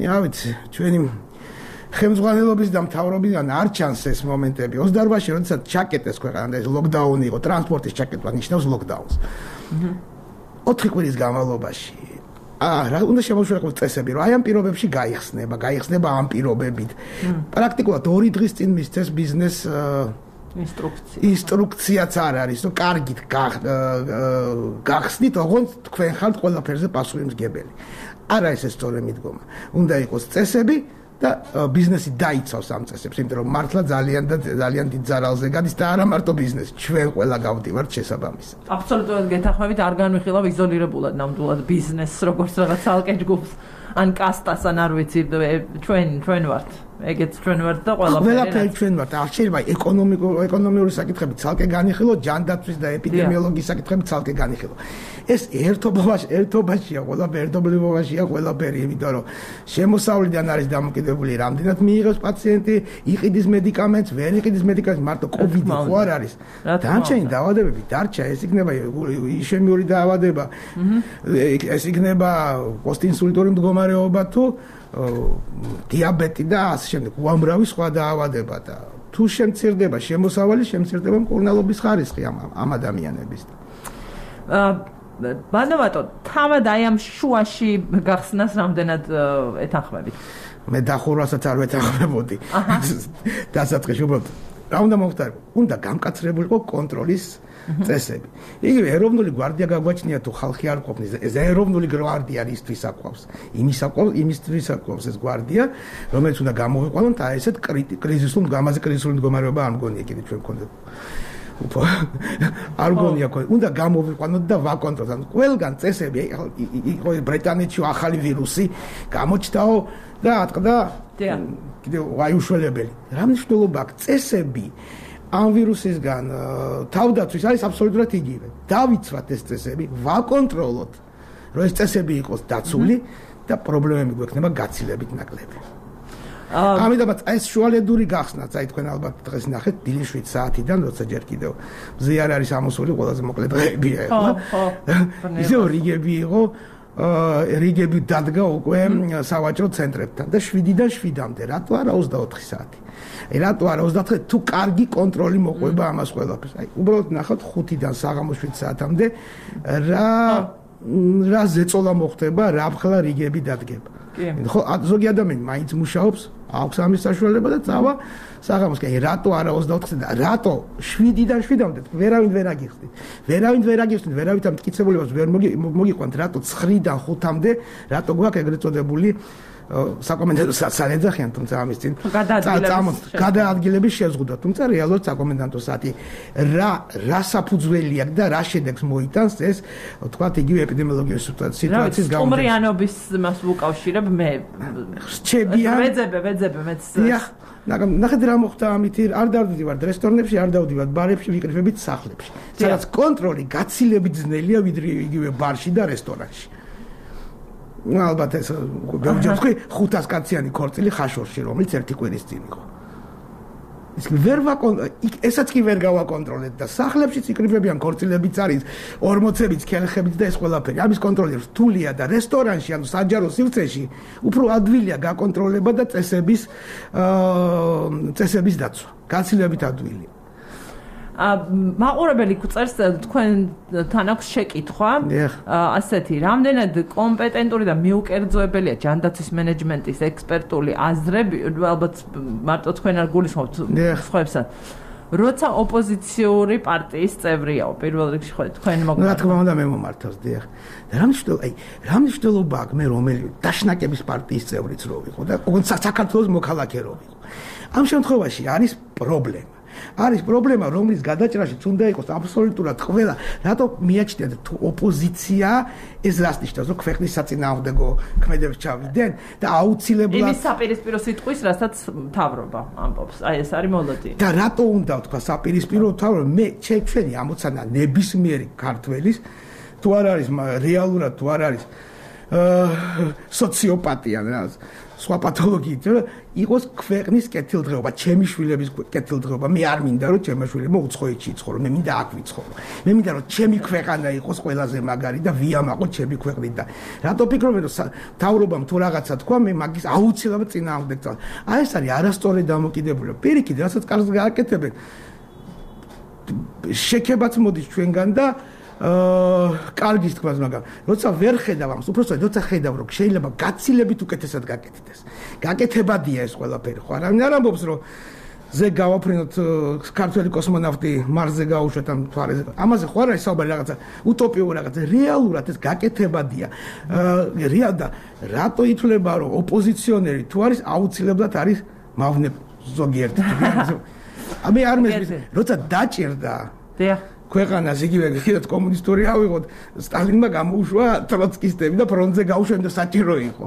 რა ვიცი, ჩვენი ხელმძღვანელობის და მთავრობიდან არ ჩანს ეს მომენტები. 28-ში როდესაც ჩაკეტეს ქვეყანა, ეს ლოკდაუნი იყო, ტრანსპორტის ჩაკეტვა ნიშნავს ლოკდაუნს. 4 კვირის განმავლობაში რა უნდა შემოშუქოს წესები, რომ აი ამ პირობებში გაიხსნება ამ პირობებით. პრაქტიკულად 2 დღის წინ მისცეს ბიზნეს ინსტრუქციაც არ არის, რომ კარგით გახსნით, ოღონდ თქვენ ხართ ყველაფერზე პასუხისმგებელი. არა ეს სწორი მიდგომა. უნდა იყოს წესები და ბიზნესი დაიცავს ამ წესებს, იმიტომ რომ მართლა ძალიან დიდ ზარალზე გადის და არა მარტო ბიზნესი, ჩვენ ყველა გავდივართ შესაბამისად. აბსოლუტურად გეთანხმებით, არ განვიხილავ იზოლირებულად ნამდვილად ბიზნესს, როგორც რაღაც ალკე ჯგუფს, ან კასტას, ან არ ვიცი, ჩვენ ვართ. ეგეც ჩვენ ვართ და ყველაფერი ჩვენ ვართ. არ შეიძლება ეკონომიკური საკითხები ცალკე განიხილო, ჯანდაცვის და ეპიდემიოლოგიის საკითხები ცალკე განიხილო. ეს ერთობაშია, ერთობლივობაშია ყველაფერი, იმიტომ რომ შემოსავლიდან არის დამოკიდებული, რამდენად მიიღებს პაციენტი, იყიდის მედიკამენტს, ვერ იყიდის მედიკამენტს, მარტო COVID-ი ხო არ არის. დანარჩენი დაავადებები დარჩა, ეს იქნება იშემიური დაავადება, ეს იქნება პოსტინსულტური მდგომარეობა თუ დიაბეტი და ასე შემდეგ, უამრავი სხვა დაავადება და თუ შემცირდება შემოსავალი, შემცირდება მკურნალობის ხარისხი ამ ადამიანების. ბანავატო, თავად აი ამ შუაში გახსნას რამდენად ეთანხმებით? მე დახურვასაც არ ვეთანხმებოდი. დასაწყისში უბრალოდ რა უნდა მოხდარიყო? უნდა გამკაცრებულიყო კონტროლის წესები. იგივე ეროვნული გვარდია გაგვაჩნია თუ ხალხი არ ყოფნის, ეს ეროვნული გვარდია ისთვის აკвავს. იმისთვის აკвავს ეს გვარდია, რომელიც უნდა გამოვიყვანოთ აი ესეთ კრიზისულ მდგომარეობა არ მგონია კიდე ჩვენ გქონდეთ. არ გონია უნდა გამოვიყვანოთ და ვაკონტროლოთ. ანუ ყველგან წესები იყო ბრიტანეთში ახალი ვირუსი გამოჩნდაო და ატყდა კიდე ვაიუშველებელი. რა მნიშვნელობა აქვს წესები ამ ვირუსისგან თავდაცვის არის აბსოლუტურად იგივე. დავიცვათ ეს წესები, ვაკონტროლოთ, რომ ეს წესები იყოს დაცული და პრობლემები გვექნება გაცილებით ნაკლები. ამიტომაც ეს შუალედური გახსნათ, აი თქვენ ალბათ დღეს ნახეთ დილის 7 საათიდან, როცა ჯერ კიდევ მზე არ არის ამოსული, ყველაზე მოკლე დღეებია ეხლა. ისევ რიგები იყო, რიგები დადგა უკვე სავაჭრო ცენტრებთან და 7-დან 7-მდე, რატო არა 24 საათი? რატო არა 24 თუ კარგი კონტროლი მოყვება ამას ყველაფერს. აი უბრალოდ ნახოთ 5-დან საღამოს 7 საათამდე რა ზეწოლა მოხდება, რა ახლა რიგები დადგება. ხო, ზოგი ადამიანი მაინც მუშაობს, აქვს ამის საშუალება და წავა საღამოს. კი, რატო არა 24-ზე და რატო 7-დან 7-მდე ვერავინ ვერ აგიხსნით. ვერავით ამ მტკიცებულებას ვერ მოგიყვანთ, რატო 9-დან 5-მდე, რატო გვაქვს ეგრეთ წოდებული საკომენდანტო საათი ეძახიან, თუმცა ამის წინ გადაადგილების შეზღუდვა, თუმცა რეალურად საკომენდანტო საათი რა საფუძველი აქვს და რა შედეგს მოიტანს ეს თქვათ იგივე ეპიდემიოლოგიური სიტუაციის გამო. სტუმრიანობის მას ვუკავშირებ მე. რჩებიან. ვეძებე მეც. ნახეთ რა მოხდა ამით, არ დავდივართ რესტორნებში, არ დავდივართ ბარებში, ვიკრიფებით სახლებში. სადაც კონტროლი გაცილებით ძნელია ვიდრე იგივე ბარში და რესტორანში. ალბათ ეს გავჯერდი 500 კაციანი ქორწილი ხაშორში, რომელიც ერთი კვირის წინ იყო. ესაც კი ვერ გავაკონტროლეთ და სახლებშიც იკრიფებიან ქორწილებიც არის 40-ებიც, ქელხებიც და ეს ყველაფერი. ამის კონტროლი რთულია და რესტორანში, ანუ საჯარო სივრცეში უფრო ადვილია გაკონტროლება და წესების დაცვა. გაცილებით ადვილია. მაყურებელი წერს თქვენთან აქვს შეკითხვა ასეთი რამდენად კომპეტენტური და მიუკერძოებელია ჯანდაცვის მენეჯმენტის ექსპერტული აზრები ალბათ მარტო თქვენ არ გულისხმობთ სხვაებსაც როცა ოპოზიციური პარტიის წევრიაო პირველ რიგში ხო თქვენ რა თქმა უნდა მე მომართავს დიახ რა მნიშვნელობა აქვს მე რომელი დაშნაკების პარტიის წევრიც რო ვიყო და საქართველოს მოქალაქე რო ვიყო ამ შემთხვევაში არის პრობლემა არის პრობლემა, რომლის გადაჭრაშიც უნდა იყოს აბსოლუტურად ყველა, რატო მიაჩნიათ თუ ოპოზიცია ეს რას ნიშნავს, რომ ქვეყნის საწინააღმდეგო ქმედებს ჩავიდნენ და აუცილებლად იმის საპირისპირო სიტყვის, რასაც მთავრობა ამბობს. აი ეს არის მოლოდინი. და რატო უნდა თქვა საპირისპირო მთავრობა? მე ჩვენი ამოცანა ნებისმიერი ქართველის თუ არ არის რეალურად თუ არ არის სოციოპატია რა სხვა პათოლოგიით იყოს ქვეყნის კეთილდღეობა, ჩემი შვილების კეთილდღეობა. მე არ მინდა რომ ჩემი შვილები უცხოეთში იცხოვრონ, მე მინდა აქ ვიცხოვრო. მე მინდა რომ ჩემი ქვეყანა იყოს ყველაზე მაგარი და ვიამაყოთ ჩემი ქვეყნით და რატო ფიქრობენ რომ თავრობამ თუ რაღაცა თქვა, მე მაგის აუცილებლად წინააღმდეგ წავალ. აი ეს არის არასწორი დამოკიდებულება. პირიქით, რასაც კარგს გააკეთებენ. შექებაც მოდის ჩვენგან და კარგის თქმას, მაგრამ როცა ვერ ხედავ ამას, უბრალოდ როცა ხედავ რომ შეიძლება გაცილებით უკეთესად გაკეთდეს. გაკეთებადია ეს ყველაფერი, ხო? არავინ არ ამბობს რომ ზე გავაფრინოთ ქართველი კოსმონავტი მარსზე გაუშვათ ამ თვარეზე. ამაზე ხო არ არის საუბარი რაღაცა უტოპიური რაღაცა, რეალურად ეს გაკეთებადია. და რატო ითვლება რომ ოპოზიციონერი თუ არის აუცილებლად არის მავნე ზოგიერთი. მე არ მესმის, როცა დაჭირდა. დიახ ქვეყანას იგივე კიდევ კომუნისტური ავიღოთ სტალინმა გამოუშვა ტროცკისტები და ფრონტზე გაუშვენ და საჭირო იყო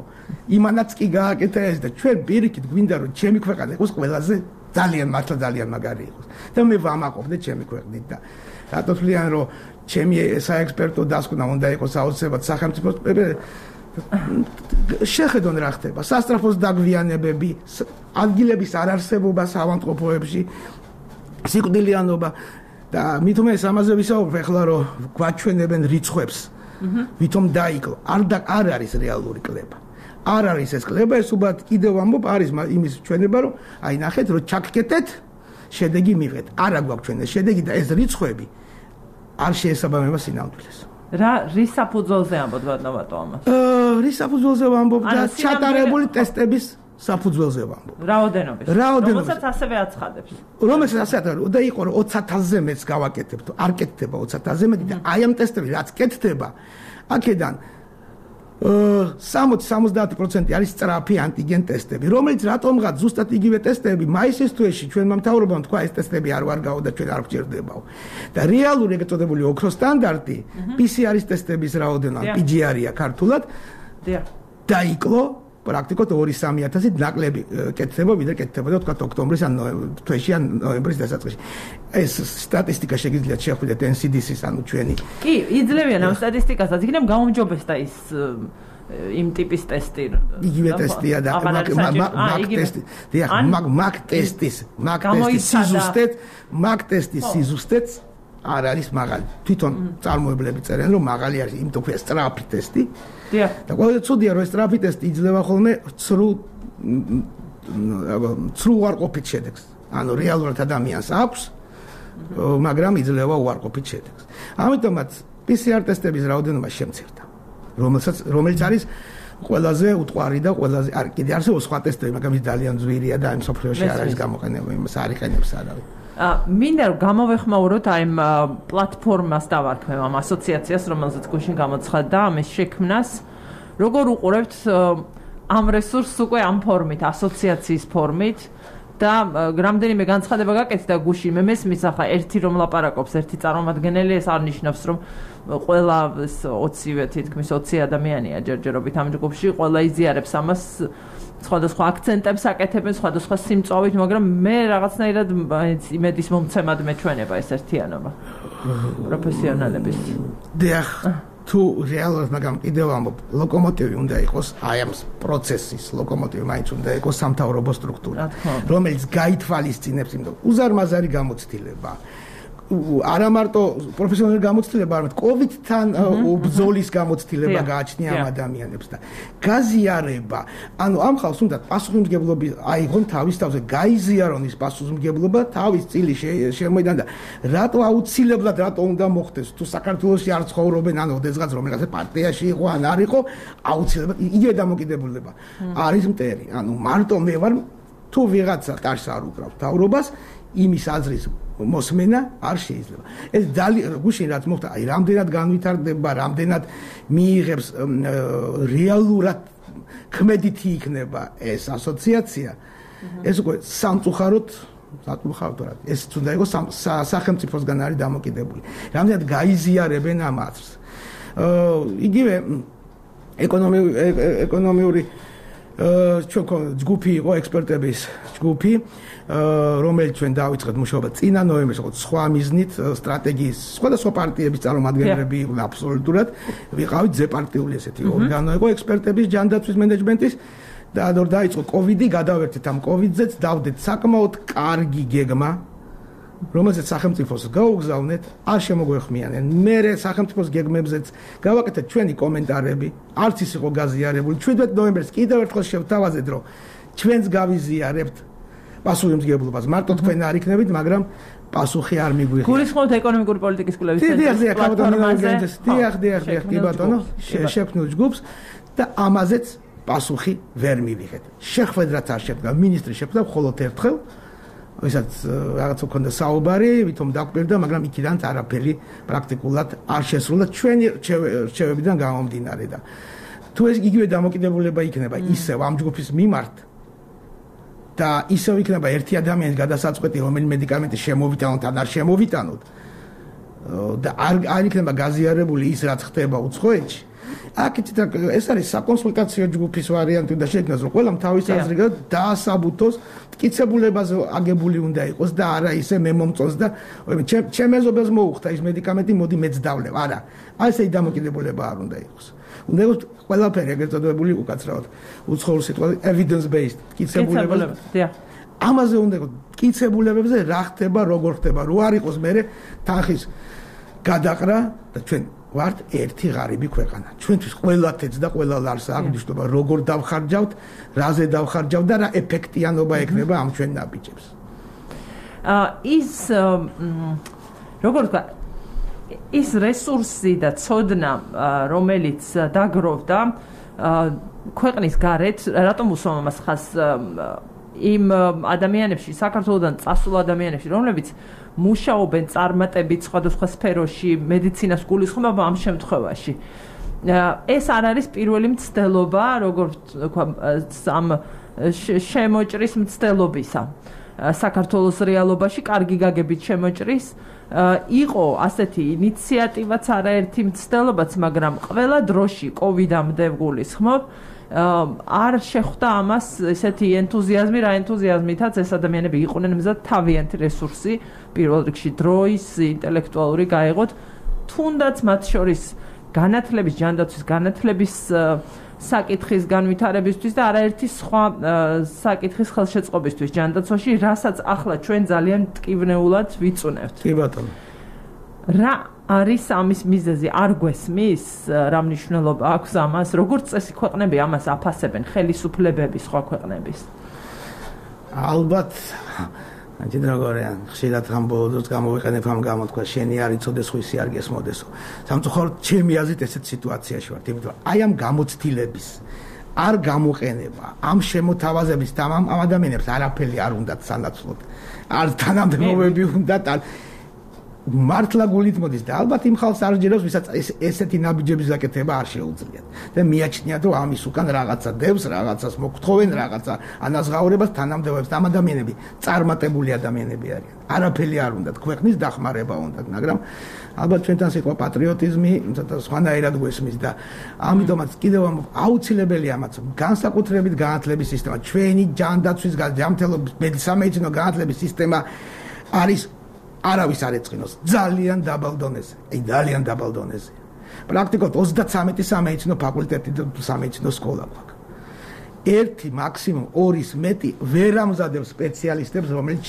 იმანაც კი გააკეთა ეს და ჩვენ პირიქით გვინდა რომ ჩემი ქვეყანა იყოს ყველაზე ძალიან მაგარი იყოს და მე ვამაყობდე ჩემი ქვეყნით და რატო თვლიან რომ ჩემი საექსპერტო დასკვნა უნდა იყოს აუცილებლად სახელმწიფოს შეხედონ რა ხდება სასტრაფოს დაგვიანებები ადგილების არარსებობა საავადმყოფოებში სიკვდილიანობა და მithome ეს ამაზე ვისაუბრებ ახლა რომ გვაჩვენებენ რიცხვებს ვითომ დაიკლო არ არის რეალური კლება არ არის ეს კლება ეს უბრალოდ კიდევ ამბობ არის იმის ჩვენება რომ აი ნახეთ რომ ჩაგკეტეთ შედეგი მივიღეთ არა გვაქვს ჩვენ ეს შედეგი და ეს რიცხვები არ შეესაბამება სინამდვილეს რის საფუძველზე ამბობთ ბატონო ამას? რის საფუძველზე ვამბობ და ჩატარებული ტესტების საფუძველზე ვამბობ. რაოდენობის. რომელსაც ასევე აცხადებს. რომელსაც ასე აცხადებს და იყო 20,000-ზე მეც გავაკეთებთ. არ კეთდება 20,000-ზე მეტი და აი ამ ტესტები რაც კეთდება, აქედან 60-70% არის სწრაფი ანტიგენ ტესტები, რომელიც რატომღაც ზუსტად იგივე ტესტები მაისის თვეში ჩვენმა მთავრობამ თქვა ეს ტესტები არ ვარგაო და ჩვენ არ გვჭირდებაო. და რეალური ეგრეთ წოდებული ოქრო სტანდარტი PCR-ის ტესტების რაოდენობა PGR-ია ქართულად. დაიკლო პრაქტიკულად 2-3,000-ით ნაკლები კეთდება, ვიდრე კეთდებოდა თქვა ოქტომბრის ან თვეში ან ნოემბრის დასაწყისში. ეს სტატისტიკა შეგიძლიათ შეხვიდეთ NCDC-ის ანუ ჩვენი. კი, იძლევიან ამ სტატისტიკასაც, იქნებ გაუმჯობესდა ის იმ ტიპის ტესტი. იგივე ტესტია და მაგ ტესტის სიზუსტეც არ არის მაღალი. თვითონ წარმოებლები წერენ რომ მაღალი არის, იმიტომ ქვია სწრაფი ტესტი. და ყველა ცუდია რომ ეს სწრაფი ტესტი იძლევა ხოლმე ცრუ უარყოფით შედეგს. ანუ რეალურად ადამიანს აქვს, მაგრამ იძლევა უარყოფით შედეგს. ამიტომაც PCR ტესტების რაოდენობა შემცირდა, რომელიც არის ყველაზე უტყვარი და ყველაზე არ კიდე არსებობს სხვა ტესტები, მაგრამ ის ძალიან ძვირია და ამ სოფლიოში არ არის გამოყენება, იმას არ იყენებს არავინ. მინდა რომ გამოვეხმაუროთ აი ამ პლატფორმას დავარქმევ ამ ასოციაციას, რომელზეც გუშინ გამოცხადდა ამის შექმნას. როგორ უყურებთ ამ რესურსს უკვე ამ ფორმით, ასოციაციის ფორმით და რამდენიმე განცხადება გაკეთდა გუშინ, მე მესმის ახლა ერთი რომ ლაპარაკობს, ერთი წარმომადგენელი, ეს არ ნიშნავს რომ ყველა 20-ვე თითქმის 20 ადამიანია ჯერჯერობით ამ ჯგუფში, ყველა იზიარებს ამას სხვადასხვა აქცენტებს აკეთებენ, სხვადასხვა სიმწვავით, მაგრამ მე რაღაცნაირად იმედის მომცემად მეჩვენება ეს ერთიანობა პროფესიონალების. დიახ, თუ რეალურად მაგრამ კიდევ ამბობ, ლოკომოტივი უნდა იყოს აი ამ პროცესის, ლოკომოტივი მაინც უნდა იყოს სამთავრობო სტრუქტურა, რომელიც გაითვალისწინებს იმ უზარმაზარი გამოცდილება. არა მარტო პროფესიონალური გამოცდილება, არამედ COVID-თან ბრძოლის გამოცდილება გააჩნია ამ ადამიანებს და გაზიარება. ანუ ამ ხალხს უნდა პასუხისმგებლობა აიღონ თავის თავზე, გაიზიარონ ის პასუხისმგებლობა თავის წილი შემოიდან და რატო აუცილებლად რატო უნდა მოხდეს თუ საქართველოში არ ცხოვრობენ ან ოდესღაც რომელიღაც პარტიაში იყო ან არ იყო, აუცილებლად იგივე დამოკიდებულება არის მტერი. ანუ მარტო მე ვარ თუ ვიღაცა ტარს არ უკრავ თავრობას, იმის აზრის მოსმენა არ შეიძლება. ეს გუშინ რაც მოხდა, აი რამდენად განვითარდება, რამდენად მიიღებს რეალურად ქმედითი იქნება ეს ასოციაცია. ეს უკვე სამწუხაროდ ეს უნდა იყოს სახელმწიფოსგან არის დამოკიდებული. რამდენად გაიზიარებენ ამ აზრს. იგივე ეკონომიური ჩვენ ჯგუფი იყო ექსპერტების ჯგუფი, რომელიც ჩვენ დავიწყეთ მუშაობა წინა ნოემბერში, სხვა მიზნით სტრატეგიის სხვადასხვა პარტიების წარმომადგენლები იყვნენ აბსოლუტურად, ვიყავით ზეპარტიული ესეთი ორგანო იყო ექსპერტების ჯანდაცვის მენეჯმენტის და რომ დაიწყო კოვიდი, გადავერთეთ ამ კოვიდზეც, დავდეთ საკმაოდ კარგი გეგმა, რომელზეც სახელმწიფოს გაუგზავნეთ, არ შემოგვეხმიანენ. მე სახელმწიფოს გეგმებზეც გავაკეთეთ ჩვენი კომენტარები, არც ის იყო გაზიარებული. 17 ნოემბერს კიდევ ერთხელ შევთავაზეთ, რომ ჩვენც გავიზიარებთ პასუხისმგებლობას. მარტო თქვენ არ იქნებით, მაგრამ პასუხი არ მიგვიღია. გულისხმობთ ეკონომიკური პოლიტიკის კვლევის ცენტრის პლატფორმაზე. დიახ, კი ბატონო, შექმნილ ჯგუფს და ამაზეც პასუხი ვერ მივიღეთ. შეხვედრაც არ შედგა, მინისტრი შეხვდა მხოლოდ ერთხელ. ვისაც რაღაც ქონდა საუბარი, ვითომ დაგვირდა, მაგრამ იქიდან არაფერი პრაქტიკულად არ შესრულა ჩვენი რჩევებიდან გამომდინარე და თუ ეს იგივე დამოკიდებულება იქნება ისევ ამ ჯგუფის მიმართ და ისევ იქნება ერთი ადამიანის გადასაწყვეტი, რომელი მედიკამენტი შემოვიტანოთ ან არ შემოვიტანოთ და არ იქნება გაზიარებული ის რაც ხდება უცხოეთში. აქეთ ეს არის საკონსულტაციო ჯგუფის ვარიანტი და შექმნას რომ ყველამ თავის აზრი დაასაბუთოს, მტკიცებულებაზე აგებული უნდა იყოს და არა ისე მე მომწონს და ჩემ ეზობელს მოუხდა ის მედიკამენტი, მოდი მეც დავლევ. არა, ასე დამოკიდებულება არ უნდა იყოს. უნდა იყოს ყველაფერი ეგრეთ წოდებული უკაცრავად უცხოურ სიტყვაზე evidence based მტკიცებულებაზე. ამაზე უნდა იყოს მტკიცებულებებზე რა ხდება, როგორ ხდება, რო არ იყოს მე თანხის გადაყრა და ჩვენ ვართ ერთი ღარიბი ქვეყანა. ჩვენთვის ყველა თეთრ და ყველა ლარს აღნიშნობა, როგორ დავხარჯავთ, რაზე დავხარჯავთ და რა ეფექტიანობა ექნება ამ ჩვენ ნაბიჯებს. ის როგორ თქვა, ის რესურსი და ცოდნა, რომელიც დაგროვდა ქვეყნის გარეთ, რატომ უსვამ ამას ხაზს იმ ადამიანებში, საქართველოდან წასულ ადამიანებში, რომლებიც მუშაობენ წარმატებით სხვადასხვა სფეროში, მედიცინას გულისხმობ ამ შემთხვევაში. ეს არ არის პირველი მცდელობა, როგორც თქვა, ამ შემოჭრის მცდელობისა. საქართველოს რეალობაში კარგი გაგებით შემოჭრის იყო ასეთი ინიციატივაც არაერთი მცდელობაც, მაგრამ ყველა დროში კოვიდამდე გულისხმობ არ შეხვდა ამას ესეთი ენთუზიაზმი, რა ენთუზიაზმითაც ეს ადამიანები იყვნენ მზად თავიანთი რესურსი, პირველ რიგში დროის, ინტელექტუალური გაეღოთ, თუნდაც მათ შორის განათლების, ჯანდაცვის განათლების საკითხის განვითარებისთვის და არაერთი სხვა საკითხის ხელშეწყობისთვის ჯანდაცვაში, რასაც ახლა ჩვენ ძალიან მტკივნეულად ვიწუნევთ. კი ბატონო. რა არის ამის მიზეზი? არ გვესმის? რა მნიშვნელობა აქვს ამას? როგორც წესი ქვეყნები ამას აფასებენ, ხელისუფლებები სხვა ქვეყნების? ალბათ აჯერ როგორია, ხშირად ამ ბოლო დროს გამოვიყენებ ამ გამოთქვა, შენი არ იცოდეს, ხვისი არ გესმოდესო. სამწუხაროდ ჩემი აზრით ესეთ სიტუაციაში ვართ, იმიტომ აი ამ გამოცდილების არ გამოყენება, ამ შემოთავაზების და ამ ადამიანებს არაფერი არ უნდათ სანაცვლოდ. არ თანამდებობები უნდათ, არ მართლა გულით მოდის და ალბათ იმ ხალხს არ ჯერავს, ვისაც ესეთი ნაბიჯების გაკეთება არ შეუძლიათ. და მიაჩნიათ, რომ ამის უკან რაღაცა დევს, რაღაცას მოგთხოვენ, რაღაცა ანაზღაურებას თანამდებობებს. ამ ადამიანები წარმატებული ადამიანები არიან. არაფერი არ უნდათ, ქვეყნის დახმარება უნდათ, მაგრამ ალბათ ჩვენთან სიტყვა პატრიოტიზმი სხვანაირად გვესმის და ამიტომაც კიდევ აუცილებელია ამაც განსაკუთრებით განათლების სისტემა. ჩვენი ჯანდაცვის, ჯანმრთელობის, სამედიცინო განათლების სისტემა არის არავის არ ეწყინოს ძალიან დაბალ დონეზე. ძალიან დაბალ დონეზე. პრაქტიკულად 33 სამედიცინო ფაკულტეტი და სამედიცინო სკოლა გვაქვს. ერთი მაქსიმუმ 2-ის მეტი ვერ ამზადებს სპეციალისტებს, რომელიც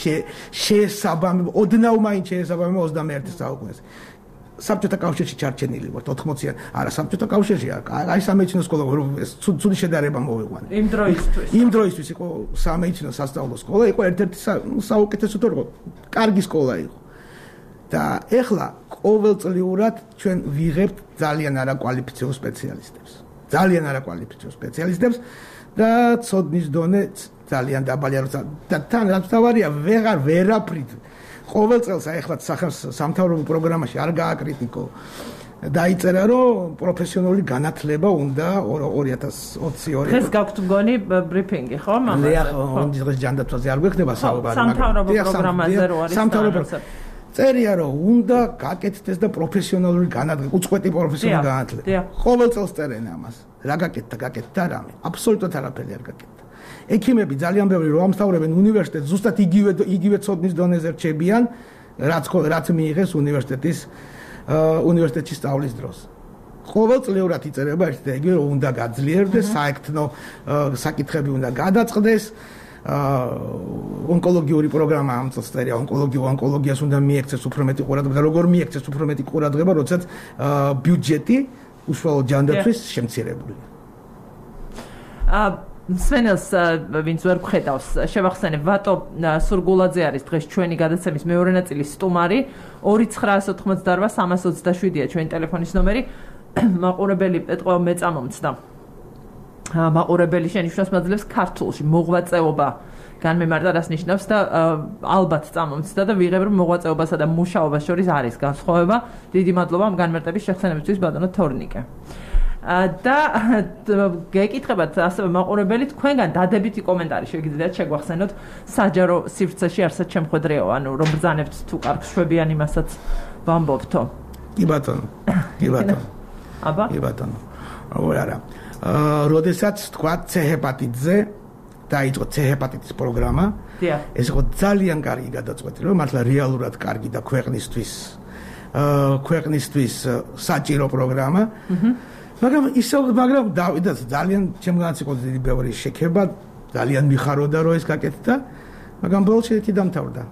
შეესაბამება, ოდნავ მაინც შეესაბამება 21 საუკუნეს. საბჭოთა კავშირში ჩარჩენილი ვართ 80-იან. არა, საბჭოთა კავშირში აი სამედიცინო სკოლა ცუდი შედარება მოვიყვანე. იმ დროისთვის იყო სამედიცინო სასწავლო სკოლა, იყო ერთ-ერთი საუკეთესო თუ კარგი სკოლა იყო. და ეხლა ყოველწლიურად ჩვენ ვიღებთ ძალიან არაკვალიფიციურ სპეციალისტებს. ძალიან არაკვალიფიციურ სპეციალისტებს და ცოდნის დონე ძალიან დაბალია, და თან რაც თავარია, ვერაფრით ყოველ წელს ეხლა სამთავრობო პროგრამაში არ გააკრიტიკო. დაიწერა, რომ პროფესიონალური განათლება უნდა 2020-2. დღეს გაქვთ მგონი ბრიფინგი, ხო? მაგრამ დღეს ჯანდაცვაზე არ გვეხდება საუბარი, მაგრამ სამთავრობო პროგრამაზე რო არის სამთავრობო წერია, რომ უნდა გაკეთდეს და პროფესიონალური განათლება, უწყვეტი პროფესიონალური განათლება. ყოველ წელს წერენ ამას. რა გაკეთდა რამე? აბსოლუტურად არაფერი არ გაკეთდა. ექიმები ძალიან ბევრი რო ამსთავრებენ უნივერსიტეტს, ზუსტად იგივე ცოდნის დონეზე რჩებიან, რაც მიიღეს უნივერსიტეტში სწავლის დროს. ყოველწლიურად იწერება ერთი და იგივე, რომ უნდა გაძლიერდეს, საექთნო საკითხები უნდა გადაწყდეს. ონკოლოგიური პროგრამა ამ წელს წერია, ონკოლოგიას უნდა მიექცეს უფრო მეტი ყურადღება, როგორ მიექცეს უფრო მეტი ყურადღება, როდესაც ბიუჯეტი უშუალოდ ჯანდაცვის შემცირებულია. სვენელს ვინც ვერ გხედავს, შევახსენებ, ვატო სურგულაძე არის დღეს ჩვენი გადაცემის მეორე ნაწილის სტუმარი, 2988-327-ია ჩვენი ტელეფონის ნომერი. მაყურებელი ეტყვა მეწამომცდა. მაყურებელი შენიშვნას მაძლევს ქართულში მოღვაწეობა განმემართა რას ნიშნავს და ალბათ წამომცდა და ვიღებ რომ მოღვაწეობასა და მუშაობას შორის არის განსხვავება. დიდი მადლობა ამ განმარტების შეხსენებისთვის ბატონო თორნიკე. და გეკითხებათ ასევე მაყურებელი, თქვენგან დადებითი კომენტარი შეგიძლიათ შეგვახსენოთ საჯარო სივრცეში არსად შემხედრეო, ანუ რომ ბრძანებთ თუ კარგს შვებიან იმასაც ვამბობთო. კი ბატონო. აბა? კი ბატონო. არა. როდესაც თქვა C-ჰეპატიტზე დაიწყო C-ჰეპატიტის პროგრამა, ეს იყო ძალიან კარგი გადაწყვეტილება, რომ მართლა რეალურად კარგი და ქვეყნისთვის საჭირო პროგრამა. მაგრამ დავიდა ძალიან ჩემგანაც იყო დიდი ბევრი შექება, ძალიან მიხაროდა რომ ეს გაკეთდა, მაგრამ ბოლოს ერთი დამთავრდა.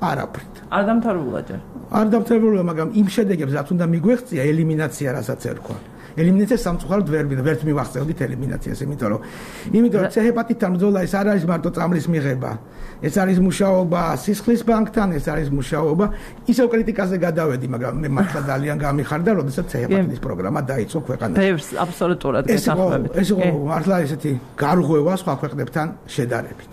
არაფრით. არ დამთავრებულა ჯერ. არ დამთავრებულა, მაგრამ იმ შედეგებს რაც უნდა მიგვეღწია, ელიმინაცია, რასაც ერქვა. ელიმინაციას სამწუხაროდ ვერ მივახცევდით ელიმინაციას, იმიტომ რომ C-ჰეპატიტთან ბრძოლა ეს არ არის მარტო წამლის მიღება. ეს არის მუშაობა სისხლის ბანკთან, ეს არის მუშაობა. ისევ კრიტიკაზე გადავედი, მაგრამ მე მართლა ძალიან გამიხარდა, როდესაც C-ჰეპატიტის პროგრამა დაიწყო ქვეყანაში. ბევრს აბსოლუტურად გასახმებით. ეს იყო მართლა ესეთი გარღვევა სხვა ქვეყნებთან შედარებით.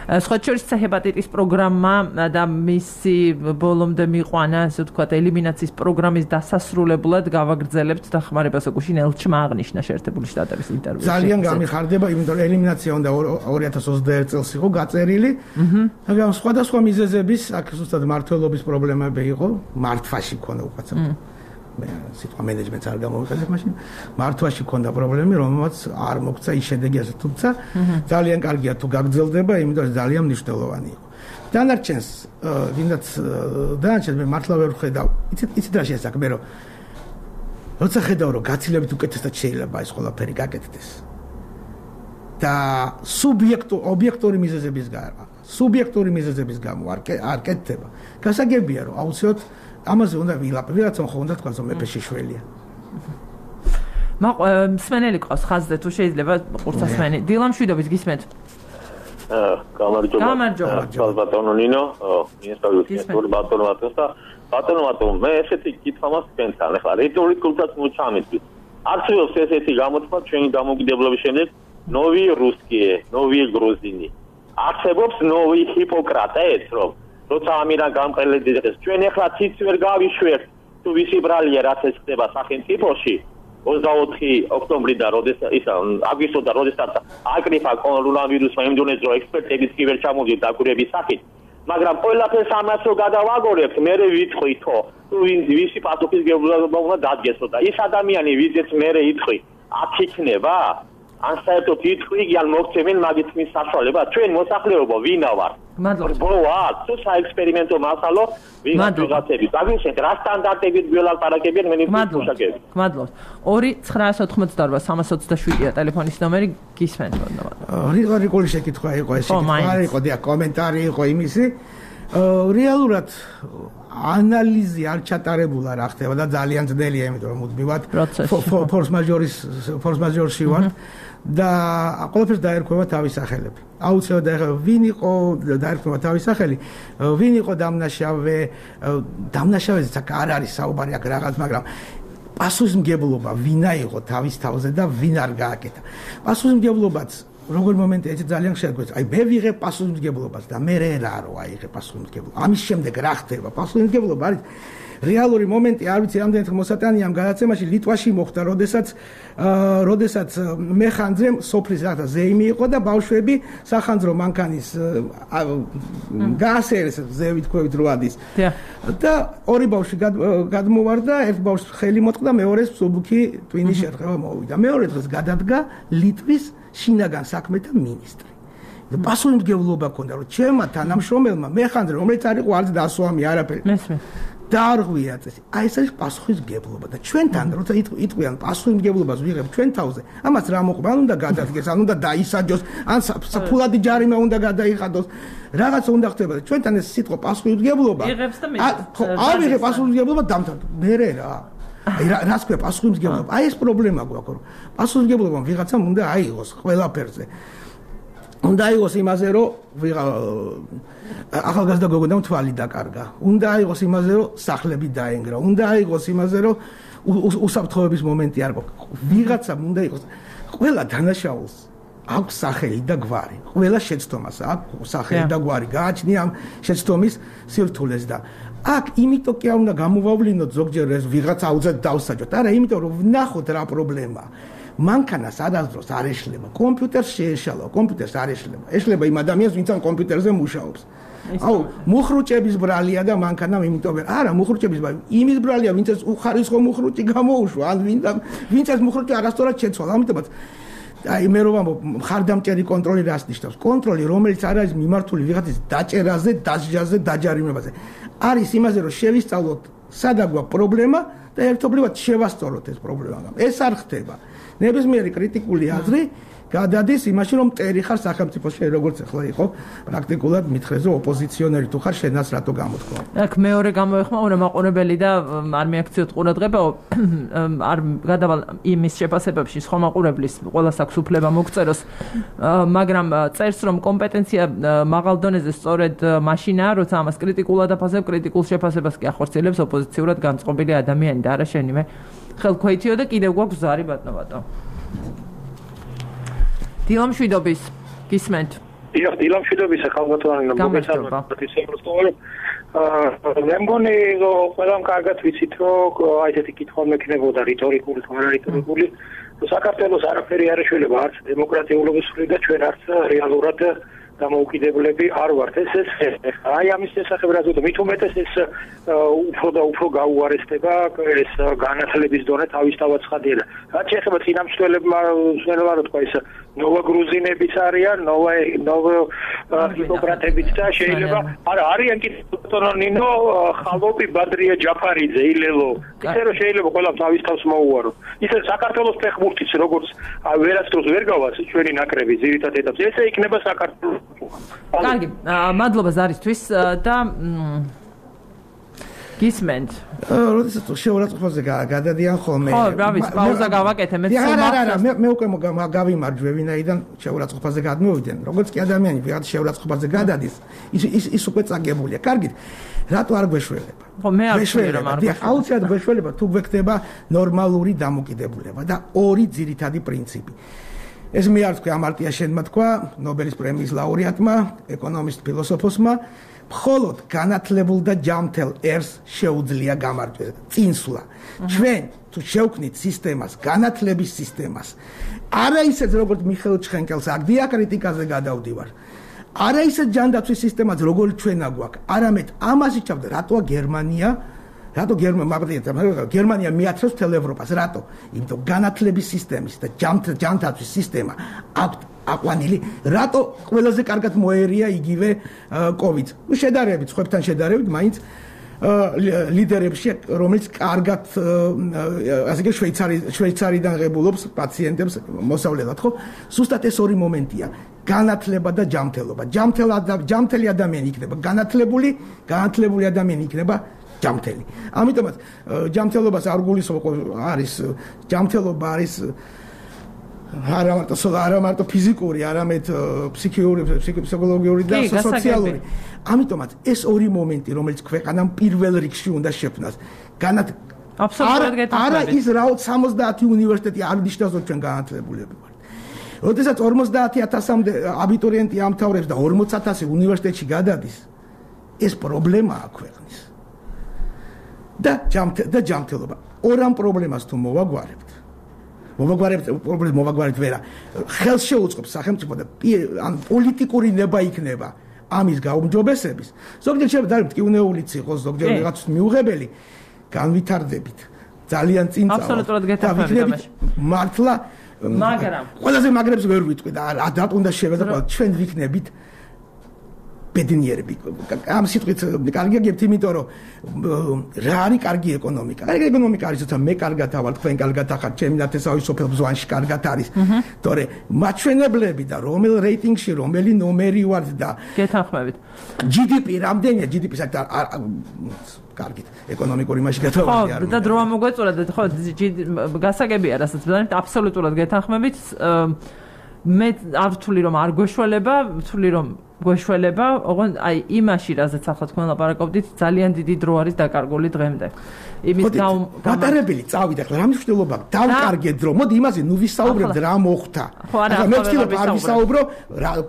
სხვა შორის C-ჰეპატიტის პროგრამა და მისი ბოლომდე მიყვანა, ასე ვთქვათ, ელიმინაციის პროგრამის დასასრულებლად გავაგრძელებთ დახმარებას ოკუშინ ელჩმა აღნიშნა შეერთებული შტატების ინტერვიუში. ძალიან გამიხარდება, იმიტომ რომ ელიმინაცია უნდა 2021 წელს იყო გაწერილი. მაგრამ სხვადასხვა მიზეზების, აქ ზუსტად მართლობის პრობლემები იყო, მართვაში ქონდა უკაცრავ. მე სიტყვა მენეჯმენტს არ გამოვიყენებ მაშინ. მართვაში ქონდა პრობლემები, რომელმაც არ მოგცა ის შედეგი ასე, თუმცა ძალიან კარგია თუ გაგრძელდება, იმიტომ რომ ძალიან მნიშვნელოვანი იყო. დანარჩენს, ვინაც დანარჩენს მე მართლა ვერ ხედავ. იცით რა შესაძლებელი, რომ როცა ხედავ რომ გაცილებით უკეთესად შეიძლება ეს ყველაფერი გაკეთდეს. და ობიექტური მიზეზების გამო არ კეთდება. გასაგებია რომ აუცილებლად ამაზე უნდა ვიღაცა ხო უნდა თქვა რომ მეფე შეშველია. მსმენელი ყავს ხაზზე თუ შეიძლება ყურცასმენი. დილამშვიდობის გისმენთ. გამარჯობა. ბატონო ნინო, მინისტრული ბატონო, მე ესეთი კითხვა მაქვს თქვენთან. ახლა რიტორიკულსაც მოჩამეთვით. არსებობს ესეთი გამოთქვა ჩვენი დამოუკიდებლობის შემდეგ ნოვი რუსკიე, ნოვი გრუზინი. არსებობს ნოვი ჰიპოკრატეს, რომ როცა ამირან გამყელედეს ჩვენ ახლა ციც ვერ გავიშვერთ თუ ვისი ბრალია რაც ეს ხდება სახელმწიფოში 24 ოქტომბრიდან აგვისტოდან როდესაც აკრიფა კორონავირუსმა იმდენად რომ ექსპერტებიც კი ვერ ჩამოვიდნენ დაკვირვების სახით მაგრამ ყველაფერს ამას რო გადავაგორებთ მე ვიტყვითო თუ ვისი პასუხისმგებლობა უნდა დადგესო და ის ადამიანი ვიზეც მე იტყვი აქ იქნება ან საერთოდ იტყვი ან მოგცემენ მაგით მის საშუალება ჩვენ მოსახლეობა ვინა ვარ ბოა თუ საექსპერიმენტო მასალო ვიღაცები დაგიშეთ რა სტანდარტებით გველაპარაკებიან მე ნიფუშაკები გმადლობთ 2-988-327-ია ტელეფონის ნომერი გისმენთ რიტორიკული შეკითხვა იყო ეს არ იყო და კომენტარი იყო იმისი რეალურად ანალიზი არ ჩატარებულა რა ხდება და ძალიან ძნელია იმიტომ რომ მუდმივად ფორს მაჟორში ვარ და ყველაფერს დაერქვება თავის სახელები. აუცილებლად დაერქვება ვინ იყო დაერქვება თავის სახელი, ვინ იყო დამნაშავეზე აქ არ არის საუბარი აქ რაღაც, მაგრამ პასუხისმგებლობა ვინა იყო თავის თავზე და ვინ არ გააკეთა. პასუხისმგებლობაც როგორ მომენტია ეს ძალიან შეგვეც. აი მე ვიღებ პასუხისმგებლობას და მე რა აიღე პასუხისმგებლობა. ამის შემდეგ რა ხდება? პასუხისმგებლობა არის რეალური მომენტი, არ ვიცი რამდენად მოსატანია ამ გადაცემაში ლიტვაში მოხდა, როდესაც მეხანძრემ სოფლის რაღაცა ზეიმი იყო და ბავშვები სახანძრო მანქანის გაასერეს ზევით ქვევით როადის. და ორი ბავშვი გადმოვარდა, ერთ ბავშვს ხელი მოწყდა, მეორეს მსუბუქი ტვინის შერხება მოვიდა. მეორე დღეს გადადგა ლიტვის შინაგან საქმეთა მინისტრი. და პასუხისმგებლობა ქონდა, რომ ჩემმა თანამშრომელმა მეხანძრე, რომელიც არ იყო არც დასვამი არაფერი. დაარღვია წესი. აი ეს არის პასუხისმგებლობა და ჩვენთან როცა იტყვიან პასუხისმგებლობას ვიღებ ჩვენ თავზე, ამას რა მოყვება, ან უნდა გადადგეს, ან უნდა დაისაჯოს, ან საფულადი ჯარიმა უნდა გადაიხადოს. რაღაცა უნდა ხდება და ჩვენთან ეს სიტყვა პასუხისმგებლობა. არ ვიღებ პასუხისმგებლობა დამთავრდა. მე რა. აი რას ქვია პასუხისმგებლობა? აი ეს პრობლემა გვაქვს, რომ პასუხისმგებლობა ვიღაცამ უნდა აიღოს ყველაფერზე. უნდა აიღოს იმაზე, რომ ახალგაზრდა გოგონამ თვალი დაკარგა. უნდა აიღოს იმაზე, რომ სახლები დაენგრა. უნდა აიღოს იმაზე, რომ უსაფრთხოების მომენტი არ გვაქვს. ვიღაცამ უნდა იყოს. ყველა დანაშაულს აქვს სახელი და გვარი. ყველა შეცდომას აქვს სახელი და გვარი. გააჩნია ამ შეცდომის სირთულეს და აქ იმიტომ კი არ უნდა გამოვავლინოთ ზოგჯერ ეს ვიღაცა აუცილებლად დავსაჯოთ. არა, იმიტომ რომ ვნახოთ რა პრობლემაა. მანქანას არასდროს არ ეშლება. კომპიუტერს შეეშალა, კომპიუტერს არ ეშლება. ეშლება იმ ადამიანს, ვინც ამ კომპიუტერზე მუშაობს. აუ, მუხრუჭების ბრალია და მანქანამ იმიტომ არა, მუხრუჭების ბრალია. იმის ბრალია, ვინც ეს უხარისხო მუხრუჭი გამოუშვა, ან ვინც ეს მუხრუჭი არასდროს შეცვალა. ამიტომაც აი მე რომ მხარდამჭერი კონტროლი რას ნიშნავს? კონტროლი, რომელიც არ არის მიმართული ვიღაცის დაჭერაზე, დასჯაზე, დაჯარიმებაზე. არის იმაზე, რომ შევისწავლოთ, სადა გვაქვს პრობლემა და ერთობლივად შევასწოროთ ეს პრობლემა. ეს არ ხდება. ნებისმიერი კრიტიკული აზრი გადადის იმაში რომ მტერი ხარ სახელმწიფოში როგორც ახლა იყო პრაქტიკულად მითხრეს რომ ოპოზიციონერი თუ ხარ შენაც რატო გამოთქვა აქ მეორე გამოეხმაურა მაყურებელი და არ მიაქციოთ ყურადღება არ გადავალ იმის შეფასებებში სხვა მაყურებლის ყველას აქვს უფლება მოგწეროს მაგრამ წერს რომ კომპეტენცია მაღალ დონეზე სწორედ მაშინაა როცა ამას კრიტიკულად აფასებ კრიტიკულ შეფასებას კი ახორციელებს ოპოზიციურად განწყობილი ადამიანი და არა შენიმე ხელქვეითიო და კიდევ გვაქვს ზარი ბატონო დილამშვიდობის გისმენთ დილამშვიდობის ახალგაზრდანი მოგესალმებით მე მგონი რომ ყველამ კარგად ვიცით რომ აი ესეთი კითხვა მექნებოდა რიტორიკული თუ არარიტორიკული საქართველოს არაფერი არ ეშველება არც დემოკრატიულობის მხრიდან და ჩვენ არც რეალურად დამოუკიდებლები არ ვართ ეს აი ამის შესახებ რა ვთქვი მით უმეტეს ეს უფრო გაუარესდება ეს განათლების დონე თავისთავად ცხადია და რაც შეეხება წინამძღოლებმა რა თქვა ეს ნოვოგრუზინებიც არიან ნოვოჰიპოკრატებიც და შეიძლება არა არიან კი ნინო ხალოპი ბადრია ჯაფარიძე ილელო ისე რომ შეიძლება ყველა თავის თავს მოუარო ისე საქართველოს ფეხბურთის როგორც ვერასდროს ვერ გავას ჩვენი ნაკრები ძირითად ეტაპზე ესე იქნება საქართველოს კარგი მადლობა ზარისთვის და გისმენთ როდესაც შეურაცხყოფაზე გადადიან ხოლმე ხო რა ვიცი პაუზა გავაკეთე მე არა მე უკვე გავიმარჯვე ვინაიდან შეურაცხყოფაზე გადმოვიდნენ როგორც კი ადამიანი ვიღაც შეურაცხყოფაზე გადადის ის უკვე წაგებულია კარგით რატო არ გვეშველება ხო მე არ ვშველებ რომ არ გვეშველება აუცილებლად გვეშველება თუ გვექნება ნორმალური დამოკიდებულება და ორი ძირითადი პრინციპი ეს მე არ თქვი ამარტია შენმა თქვა ნობელის პრემიის ლაურეატმა ეკონომისტ ფილოსოფოსმა მხოლოდ განათლებულ და ჯანმრთელ ერს შეუძლია გამარჯვება წინსვლა ჩვენ თუ შევქმნით სისტემას განათლების სისტემას არა ისეთ როგორც მიხეილ ჩხენკელს აქ დიაკრიტიკაზე გადავდივარ არა ისეთ ჯანდაცვის სისტემას როგორც ჩვენა გვაქვს არამედ ამას იცავდა რატოა გერმანია მიაცროს თელ ევროპას რატო იმიტომ განათლების სისტემის და ჯანდაცვის სისტემა აქვს აყვანილი რატო ყველაზე კარგად მოერია იგივე კოვიდს შედარებით ხვებთან შედარებით მაინც ლიდერებში რომელიც კარგად ასე იგი შვეიცარიდან ღებულობს პაციენტებს მოსავლელად ხო ზუსტად ეს ორი მომენტია განათლება და ჯანმრთელობა ჯანმრთელი ადამიანი იქნება განათლებული ადამიანი იქნება ჯანმრთელი ამიტომაც ჯანმრთელობას არ გულისხმობ არის ჯანმრთელობა არის არა მარტო ფიზიკური, არამედ ფსიქოლოგიური და სოციალური. ამიტომაც ეს ორი მომენტი, რომელიც ქვეყანამ პირველ რიგში უნდა შექმნას. აბსოლუტურად გეთანხმებით. არა ის რაოდ 70 უნივერსიტეტი არ ნიშნავს რომ ჩვენ განათლებულები ვართ. როდესაც 50,000-მდე აბიტურიენტი ამთავრებს და 40,000 უნივერსიტეტში გადადის, ეს პრობლემაა ქვეყნის. და ჯანმრთელობა. ორ პრობლემას თუ მოვაგვარებთ მოვაგვარებთ ვერა ხელს შეუწყობს სახელმწიფო და ან პოლიტიკური ნება იქნება ამის გაუმჯობესების ზოგჯერ შეიძლება დავით კიუნეულიც იყოს ზოგჯერ რაღაც მიუღებელი განვითარდებით ძალიან წინ წავალ აბსოლუტურად გეთანხმებით მართლა მაგრამ ყველაზე მაგრებს ვერ ვიტყვი და რატო უნდა შევეძახო ჩვენ ვიქნებით ბედნიერები ამ სიტყვით კარგია გებთ იმიტომ რომ რა არის კარგი ეკონომიკა არის თორე მე კარგად ავალ თქვენ კარგად ახართ ჩემი ნათესავი სოფელ ბზვანში კარგად არის თორე მაჩვენებლები და რომელ რეიტინგში რომელი ნომერი ვართ და გეთანხმებით GDP რამდენია GDP-ს კარგით ეკონომიკური მასში გადავარდი ხო და დრო ამოგვეწურა და ხო გასაგებია რასაც ვთქვით აბსოლუტურად გეთანხმებით მე არ ვთვლი რომ არ გვეშველება ვთვლი რომ გვეშველება ოღონდ აი იმაში რაზეც ახლა თქვენ ლაპარაკობდით ძალიან დიდი დრო არის დაკარგული დღემდე იმის გატარებელი წავიდა ახლა რა მნიშვნელობა დავკარგე დრო მოდი იმაზე ნუ ვისაუბრებთ რა მოხდა ახლა მე ვთქვი არ ვისაუბრო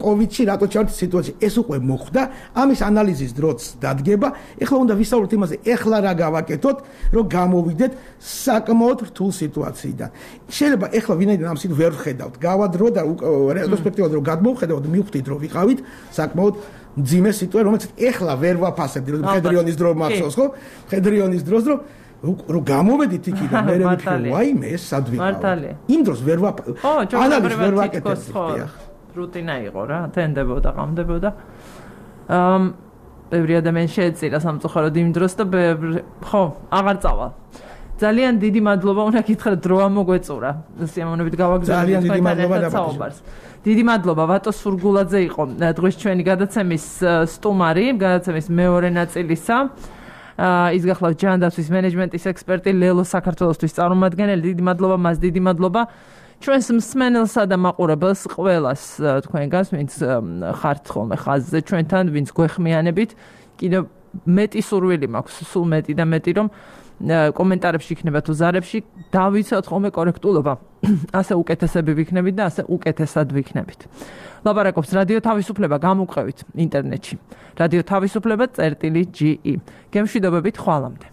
კოვიდში რატო ჩავართ სიტუაციაში ეს უკვე მოხდა ამის ანალიზის დროც დადგება ახლა უნდა ვისაუბროთ იმაზე ახლა რა გავაკეთოთ რომ გამოვიდეთ საკმაოდ რთულ სიტუაციიდან შეიძლება ახლა ვინაიდან ამ სიტუაციას ვერ ვხედავთ გავადრო და რესპექტივად რომ გადმოვხედავთ მივხვდით რომ ვიყავით საკმაოდ მძიმე სიტუაცია რომელიც ახლა ვერ ვაფასებდი რომ ფედრიონის დრო მახსოვს ხო ფედრიონის დროს რომ გამოვედით იქიდან მე ვიფიქრე ვაიმე ეს სად ვიყავ იმ დროს ვერ ანალიზს ვერ ვაკეთებდი რუტინა იყო რა თენდებოდა ყამდებოდა ბევრი ადამიანი შეეწირა სამწუხაროდ იმ დროს და ხო აღარ წავალ ძალიან დიდი მადლობა უნდა გითხრათ დრო ამოგვეწურა სიამოვნებით გავაგზავნეთ თქვენთან საუბარს დიდი მადლობა ვატო სურგულაძე იყო დღეს ჩვენი გადაცემის სტუმარი გადაცემის მეორე ნაწილისა ის გახლავთ ჯანდაცვის მენეჯმენტის ექსპერტი ლელო საქართველოსთვის წარმომადგენელი დიდი მადლობა მას დიდი მადლობა ჩვენს მსმენელსა და მაყურებელს ყველას თქვენგანს ვინც ხართ ხოლმე ხაზზე ჩვენთან ვინც გვეხმიანებით კიდევ მეტი სურვილი მაქვს სულ მეტი და მეტი რომ კომენტარებში იქნება თუ ზარებში დავიცავთ ხოლმე კორექტულობა ასე უკეთესები ვიქნებით და ასე უკეთესად ვიქნებით ლაპარაკობს რადიო თავისუფლება გამოგყევით ინტერნეტში რადიო თავისუფლება.ge გემშვიდობებით ხვალამდე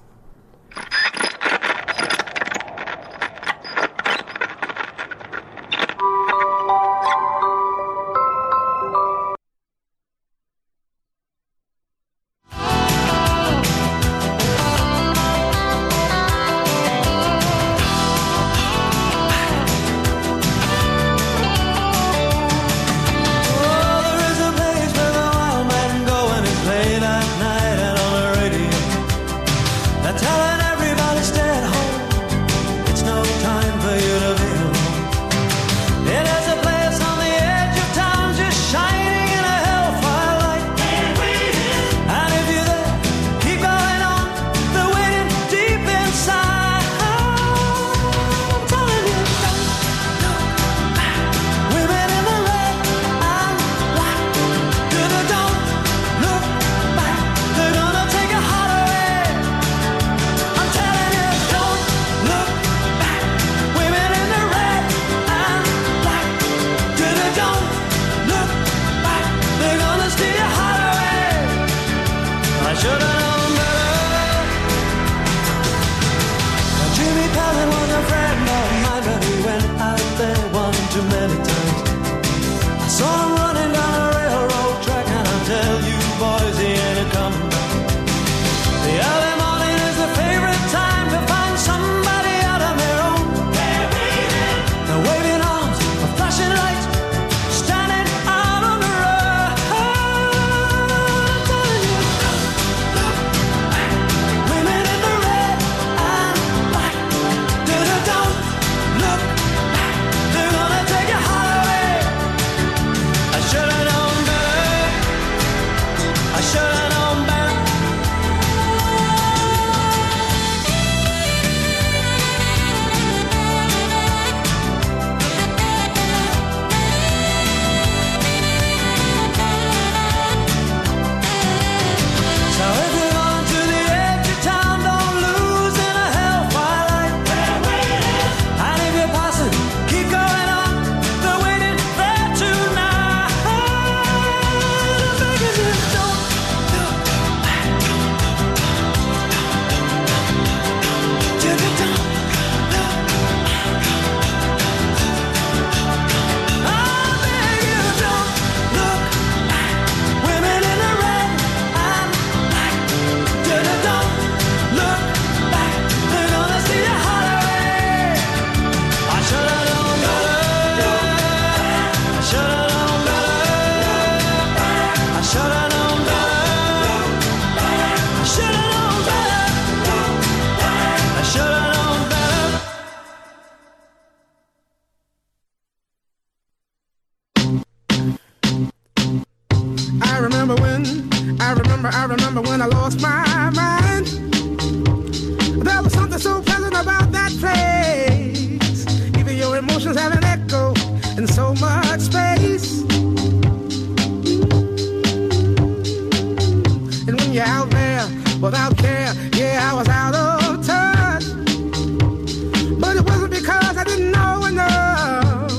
I remember when I lost my mind. There was something so pleasant about that place. Even your emotions have an echo in so much space. And when you're out there without care, yeah, I was out of touch. But it wasn't because I didn't know enough.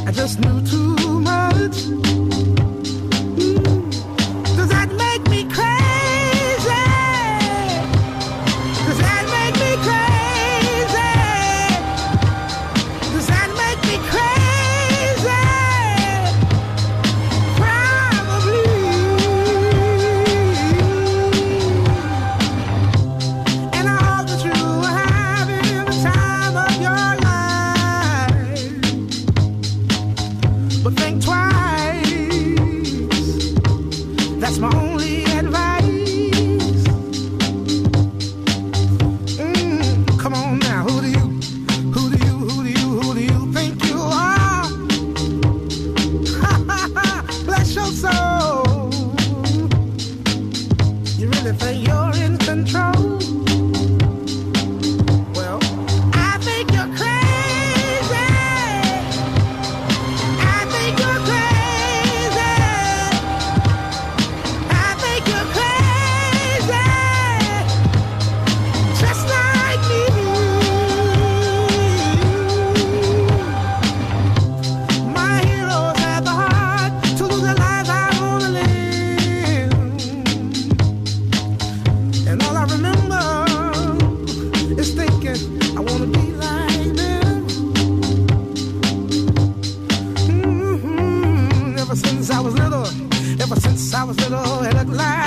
I just knew too much. Does that make me crazy? Does that make me crazy? Does that make me crazy? Probably. And I hope that you are having the time of your life. But think twice. That's my only advice. I was little and at last